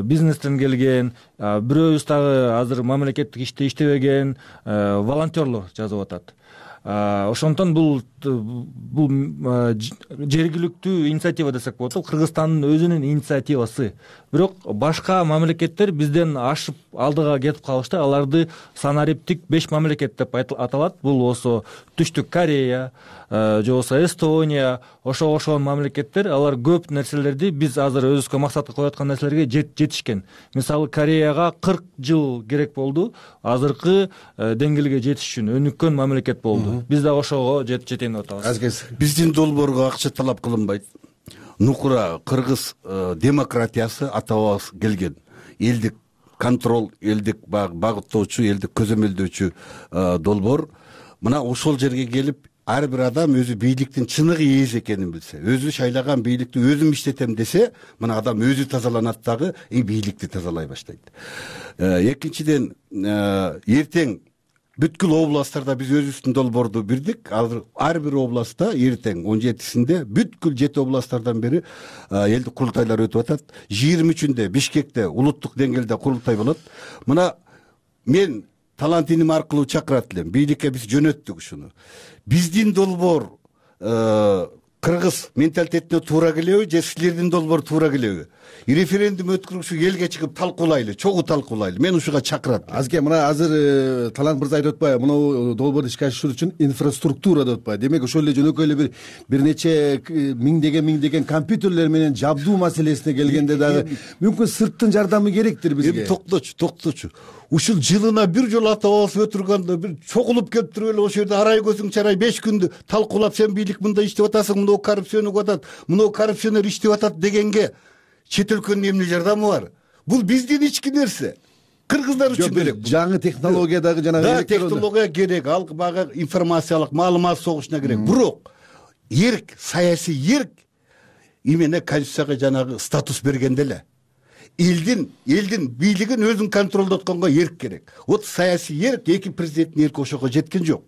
бизнестен келген, бирөөбүз дагы азыр мамлекеттик иште иштебеген волонтерлор жазып атат. Ошондон бул жергиликтүү инициатива десек болот. Кыргызстандын өзүнүн инициативасы. Бирок башка мамлекеттер бизден ашып алдыга кетип калышты. Аларды санариптик 5 мамлекет деп аталат. Бул болсо Түштүк Корея, же болсо Эстония, ошол мамлекеттер. Алар көп нерселерди биз азыр өзүбүзгө максатка коюп аткан нерселерге жетишкен. Мисалы, Кореяга 40 жыл керек болду азыркы деңгээлге жетиш үчүн. Өнүккөн мамлекет болду. Биз да ошого жетейин деп атабыз. Биздин долбоорго акча талап кылынбайт. Нукура кыргыз демократиясы ата-бабабыз келген. Элдик контрол, элдик багыттоочу, элдик көзөмөлдөөчү долбоор. Мына ошол жерге келип, ар бир адам өзү бийликтин чыныгы ээси экенин билсе, өзү шайлаган бийликти өзүм иштетем десе, мына адам өзү тазаланат дагы, бийликти тазалай баштайт. Экинчиден, эртең бүткүл областтарда биз өзүбүздүн долбоорду бирдик. Азыр ар бир областта эртең 17-синде бүткүл 7 областтардан бери элдик курултайлар өтүп атат. 23-үндө Бишкекте улуттук деңгээлде курултай болот. Мына мен талант иним аркылуу чакырат элем. Бийликке биз жөнөттүк ушуну. Биздин долбоор кыргыз менталитетине туура келеби, же силердин долбоор туура келеби? Референдум өткөрүшү элге чыгып талкуулайлы, чогуу талкуулайлы. Мен ушуга чакырат. Азке, мына азыр Талант мырза айтып атпайбы, мына долбоорду ишке ашыруу үчүн инфраструктура деп атпайбы. Демек ошол эле жөнөкөй эле бир нече миңдеген компьютерлер менен жабдуу маселесине келгенде дагы мүмкүн сырттын жардамы керектир бизге. Токточу. Ушул жылына бир жолу ата-бабабыз өтүргөндө бир чогулуп келип туруп эле ошол жерде арай көзүң чарай 5 күндү талкуулап, сен бийлик мындай иштеп атасың, мына коррупцияны атат, мына коррупционер иштеп атат дегенге чет өлкөнүн эмне жардамы бар? Бул биздин ички нерсе. Кыргыздар үчүн керек. Жаңы технология дагы жанагы технология керек, алга бага информациялык маалымат согушуна керек. Бирок эрк, саясий эрк именно конституцияга жанагы статус бергенде эле. Элдин бийлигин өзүн контролдотконго эрк керек. Вот саясий эрк, эки президенттин эрки ошого жеткен жок.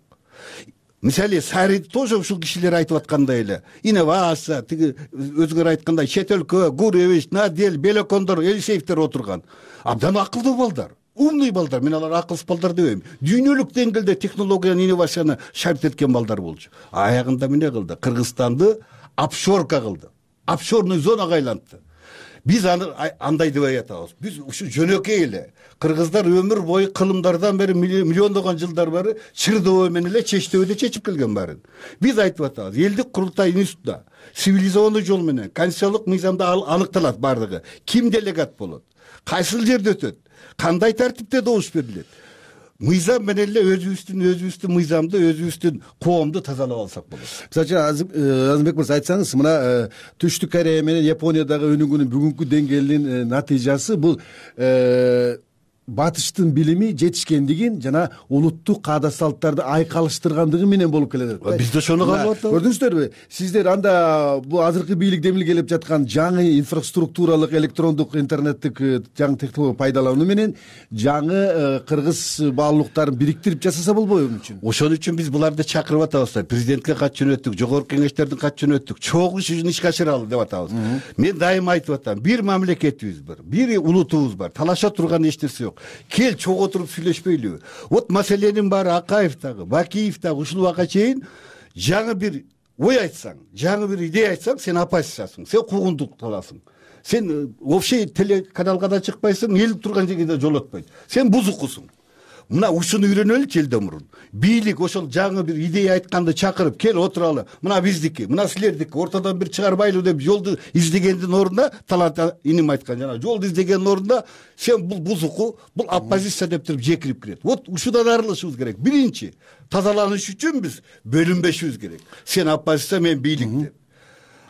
Мисалы, Сарид тоже ушул кишилер айтып аткандай эле. Инновация, тиги өзгөр айткандай чет өлкө, Гуревич, Надель, Белокондор, Элисеевдер отурган. Абдан акылдуу балдар, умный балдар. Мен алар акылсыз балдар дебейм. Дүйнөлүк деңгээлде технологияны, инновацияны шарт эткен балдар болчу. Аягында эмне кылды? Кыргызстанды офшорка кылды. Офшорный зонага айлантты. Биз андай деп атабыз. Биз ушу жөнөкөй эле. Кыргыздар өмүр бою кылымдардан бери миллиондогон жылдар бери чырдоо менен эле чечтөөдө чечип келген барын. Биз айтып атабыз, элдик курултай институтта цивилизованный жол менен конституциялык мыйзамда аныкталат бардыгы. Ким делегат болот? Кайсыл жерде өтөт? Кандай тартипте добуш берилет? Мыйзам менен эле өзүбүздүн мыйзамды, өзүбүздүн коомду тазалап алсак болот. Мисалы, Азимбек мырза айтсаңыз, мына Түштүк Корея менен Япониядагы өнүгүүнүн бүгүнкү деңгээлинин натыйжасы бул батыштын билими жетишкендигин жана улуттук каада салттарды айкалыштыргандыгы менен болуп келет. Биз да ошону каалап атабыз. Көрдүңүздөрбү? Сиздер анда бул азыркы бийлик демил келип жаткан жаңы инфраструктуралык электрондук интернеттик жаңы технология пайдалануу менен жаңы кыргыз баалуулуктарын бириктирип жасаса болбойбу мун үчүн? Ошон үчүн биз буларды чакырып атабыз. Президентке кат жөнөттүк, жогорку кеңештердин кат жөнөттүк. Чогуу ишин ишке ашыралы деп атабыз. Мен дайыма айтып атам, бир мамлекетибиз бар, бир улутубуз бар. Талаша турган эч нерсе жок. Кел чогуу туруп сүйлөшпөйлүбү? Вот маселенин баары Акаев дагы, Бакиев дагы ушул убакка чейин жаңы бир ой айтсаң, жаңы бир идея айтсаң, сен оппозициясың, сен куугундук кыласың. Сен вообще телеканалга да чыкпайсың, эл турган жерге да жолотпойт. Сен бузукусуң. Мына ушуну үйрөнөлүчү элден мурун. Бийлик ошол жаңы бир идея айтканды чакырып, кел отуралы. Мына биздики, мына силердики, ортодон бир чыгарбайлы деп жолду издегендин ордуна, Талант иним айткан жана жолду издегендин ордуна сен бул бузуку, бул оппозиция деп туруп жекирип кирет. Вот ушудан арылышыбыз керек. Биринчи, тазаланыш үчүн биз бөлүнбөшүбүз керек. Сен оппозиция, мен бийлик деп.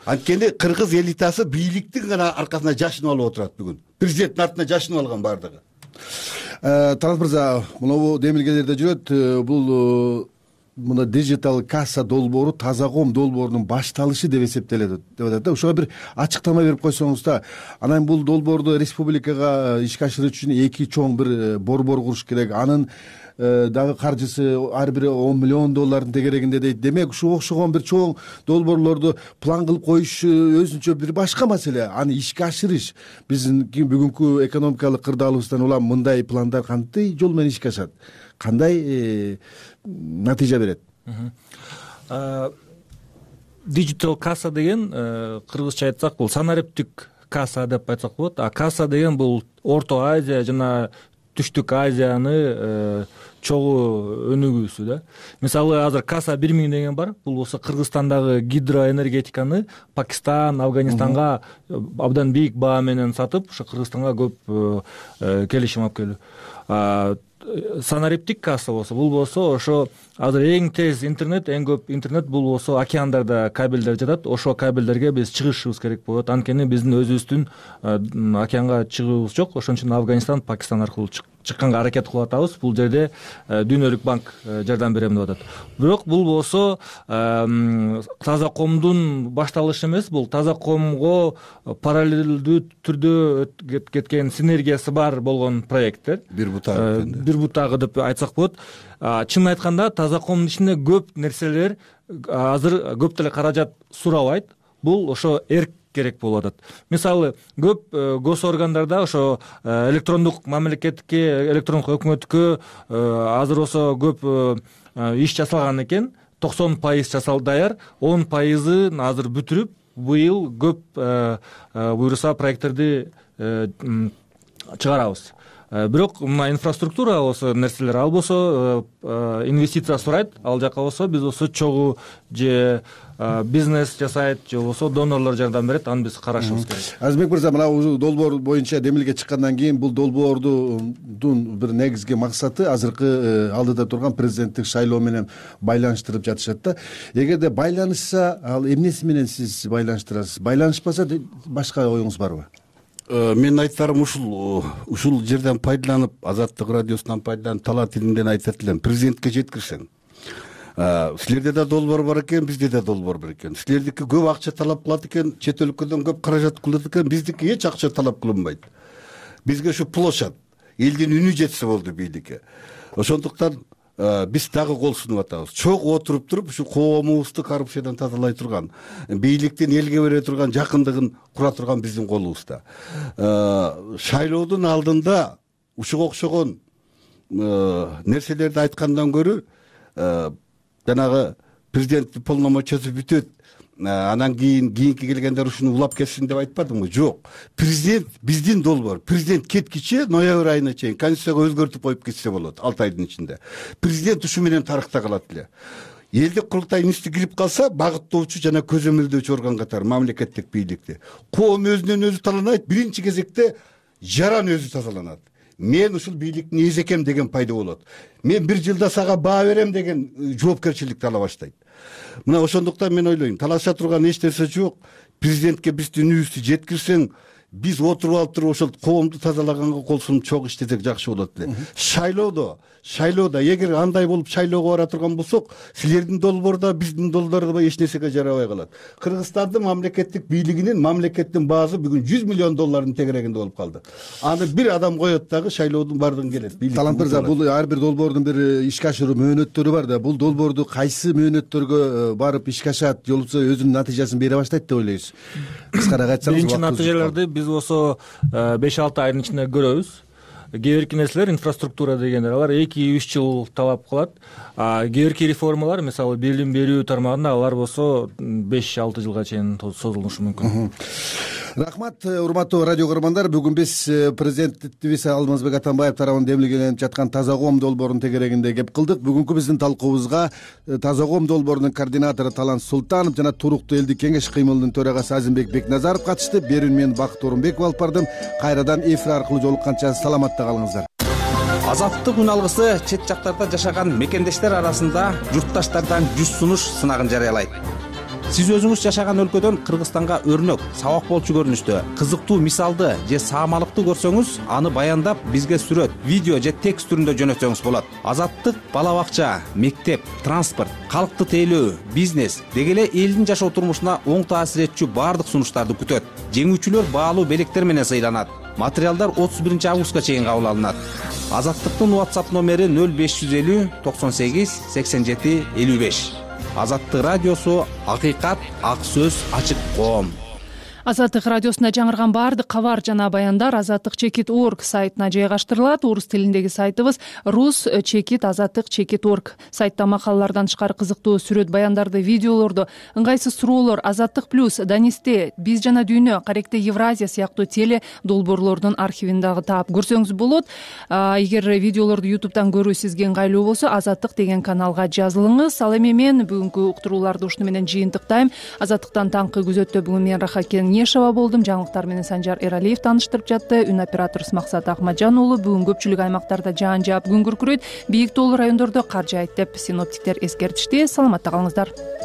Анткени кыргыз элитасы бийликтин гана аркасына жашынып алып отурат бүгүн. Президенттин артына жашынып алган бардыгы. Талант мырза, мынабу демилгелерде жүрөт. Бул мына дижитал касса долбоору таза коом долбоорунун башталышы деп эсептелет деп атат да. Ошого бир ачыктама берип койсоңуз да. Анан бул долбоорду республикага ишке ашырыш үчүн 2 чоң бир борбор куруш керек. Анын дагы каржысы ар бири $10 миллион тегерегинде дейт. Демек ушуга окшогон бир чоң долбоорлорду план кылып коюш өзүнчө бир башка маселе. Аны ишке ашырыш биздин бүгүнкү экономикалык кырдаалыбыздан улам мындай пландар кантип жол менен ишке ашат, кандай натыйжа берет? Digital касса деген кыргызча айтсак бул санариптик касса деп айтсак болот. А касса деген бул Орто Азия жана Түштүк Азияны чогуу өнүгүүсү да. Мисалы азыр касса 1000 деген бар. Бул болсо Кыргызстандагы гидроэнергетиканы Пакистан, Афганистанга абдан бийик баа менен сатып, ошо Кыргызстанга көп келишим алып келүү. Санариптик касса болсо бул болсо ошо азыр эң тез интернет, эң көп интернет бул болсо океандарда кабелдер жатат. Ошо кабелдерге биз чыгышыбыз керек болот. Анткени биздин өзүбүздүн океанга чыгуубуз жок. Ошон үчүн Афганистан, Пакистан аркылуу чыкканга аракет кылып атабыз. Бул жерде Дүйнөлүк банк жардам берем деп атат. Бирок бул болсо таза коомдун башталышы эмес, бул таза коомго параллелдүү түрдө кеткен синергиясы бар болгон проекттер. Бир бутагы деп айтсак болот. Чынын айтканда таза коомдун ичинде көп нерселер азыр көп деле каражат сурабайт. Бул ошо эрк керек болуп атат. Мисалы, көп гос органдарда ошо электрондук мамлекетке, электрондук өкмөткө азыр болсо көп иш жасалган экен. 90% жасал даяр, 10%ын азыр бүтүрүп, быйыл көп буюрса проекттерди чыгарабыз. Бирок мына инфраструктура болсо нерселер, ал болсо инвестиция сурайт, ал жака болсо биз болсо чогуу же бизнес жасайт, же болсо донорлор жардам берет, аны биз карашыбыз керек. Азизбек мырза, мына долбоор боюнча демилге чыккандан кийин бул долбоордун бир негизги максаты азыркы алдыда турган президенттик шайлоо менен байланыштырып жатышат да. Эгерде байланышса, ал эмнеси менен сиз байланыштырасыз? Байланышпаса башка оюңуз барбы? Менин айтарым ушул жерден пайдаланып, Азаттык радиосунан пайдаланып, талаа тилинден айтат элем, президентке жеткирсең. Силерде да долбоор бар экен, бизде да долбоор бар экен. Силердики көп акча талап кылат экен, чет өлкөдөн көп каражат кылат экен, биздики эч акча талап кылынбайт. Бизге ушу площадь, элдин үнү жетсе болду бийликке. Ошондуктан биз дагы кол сунуп атабыз. Чогуу отуруп туруп, ушу коомубузду коррупциядан тазалай турган, бийликтин элге бере турган жакындыгын кура турган биздин колубузда. Шайлоодун алдында ушуга окшогон нерселерди айткандан көрө жанагы президенттин полномочиясы бүтөт, анан кийинки келгендер ушуну улап кетсин деп айтпадымбы? Жок. Президент биздин долбоор. Президент кеткиче ноябрь айына чейин конституцияга өзгөртүп коюп кетсе болот 6 айдын ичинде. Президент ушу менен тарыхта калат эле. Элдик курултай институту кирип калса, багыттоочу жана көзөмөлдөөчү орган катары мамлекеттик бийликти. Коом өзүнөн өзү таланайт, биринчи кезекте жаран өзү тазаланат. Мен ушул бийликтин эзекем деген пайда болот. Мен 1 жылда сага баа берем деген жоопкерчиликти ала баштайт. Мына ошондуктан мен ойлойм, талаша турган эч нерсе жок. Президентке биздин үнүбүздү жеткирсең, биз отуруп алып туруп ошол коомду тазалаганга кол сунуп чогуу иштесек жакшы болот эле. Шайлоодо эгер андай болуп шайлоого бара турган болсок, силердин долбоордо, биздин долбоордо эч нерсеге жарабай калат. Кыргызстандын мамлекеттик бийлигинин, мамлекеттин баасы бүгүн $100 миллион тегерегинде болуп калды. Аны бир адам коет дагы шайлоодун бардыгын келет. Талант мырза, бул ар бир долбоордун бир ишке ашыруу мөөнөттөрү бар да. Бул долбоорду кайсы мөөнөттөргө барып ишке ашат, же болбосо өзүнүн натыйжасын бере баштайт деп ойлойсуз? Кыскараак айтсаңыз. Биринчи натыйжаларды биз болсо 5-6 айдын ичинде көрөбүз. Кээ бирки нерселер, инфраструктура дегендер, алар 2-3 жыл талап кылат. Кээ бирки реформалар, мисалы билим берүү тармагында, алар болсо 5-6 жылга чейин созулушу мүмкүн. Рахмат, урматтуу радио көрөрмандар. Бүгүн биз президентибиз Алмазбек Атамбаев тарабынан демилгеленип жаткан таза коом долбоорунун тегерегинде кеп кылдык. Бүгүнкү биздин талкуубузга таза коом долбоорунун координатору Талант Султанов жана Туруктуу элдик кеңеш кыймылынын төрагасы Азимбек Бекназаров катышты. Берүүнү мен Бакыт Орунбеков алып бардым. Кайрадан эфир аркылуу жолукканча саламатта калыңыздар. Азаттык үн алгысы чет жактарда жашаган мекендештер арасында журтташтардан жүз сунуш сынагын жарыялайт. сиз өзүңүз жашаган өлкөдөн Кыргызстанга өрнөк, сабак болчу көрүнүштө кызыктуу мисалды же саамалыкты көрсөңүз, аны баяндап бизге сүрөт, видео же текст түрүндө жөнөтсөңүз болот. Азаттык бала бакча, мектеп, транспорт, калкты тейлөө, бизнес деги эле элдин жашоо турмушуна оң таасир этчү баардык сунуштарды күтөт. Жеңүүчүлөр баалуу белектер менен сыйланат. Материалдар 31 августка чейин кабыл алынат. Азаттыктын WhatsApp номери 0550 98 87 55. Азаттык радиосу, акыйкат, ак сөз, ачык коом. Азаттык радиосунда жаңырган баардык кабар жана баяндар azattik.org сайтына жайгаштырылат. Орус тилиндеги сайтыбыз rus.azattik.org. Сайтта макалалардан тышкары кызыктуу сүрөт баяндарды, видеолорду, ыңгайсыз суроолор, Азаттык плюс, Данисте, Биз жана дүйнө, Каректе Евразия сыяктуу теле долбоорлордун архивин дагы таап көрсөңүз болот. Эгер видеолорду YouTube'дан көрүү сизге ыңгайлуу болсо, Азаттык деген каналга жазылыңыз. Ал эми мен бүгүнкү уктурууларды ушуну менен жыйынтыктайм. Азаттыктан таңкы күзөттө бүгүн мен Рахат Нешова болдум. Жаңылыктар менен Санжар Эралиев тааныштырып жатты. Үн операторубуз Максат Акмаджан уулу. Бүгүн көпчүлүк аймактарда жаан жаап күн күркүрөйт. Бийик тоолуу райондордо кар жаайт деп синоптиктер эскертишти. Саламатта калыңыздар.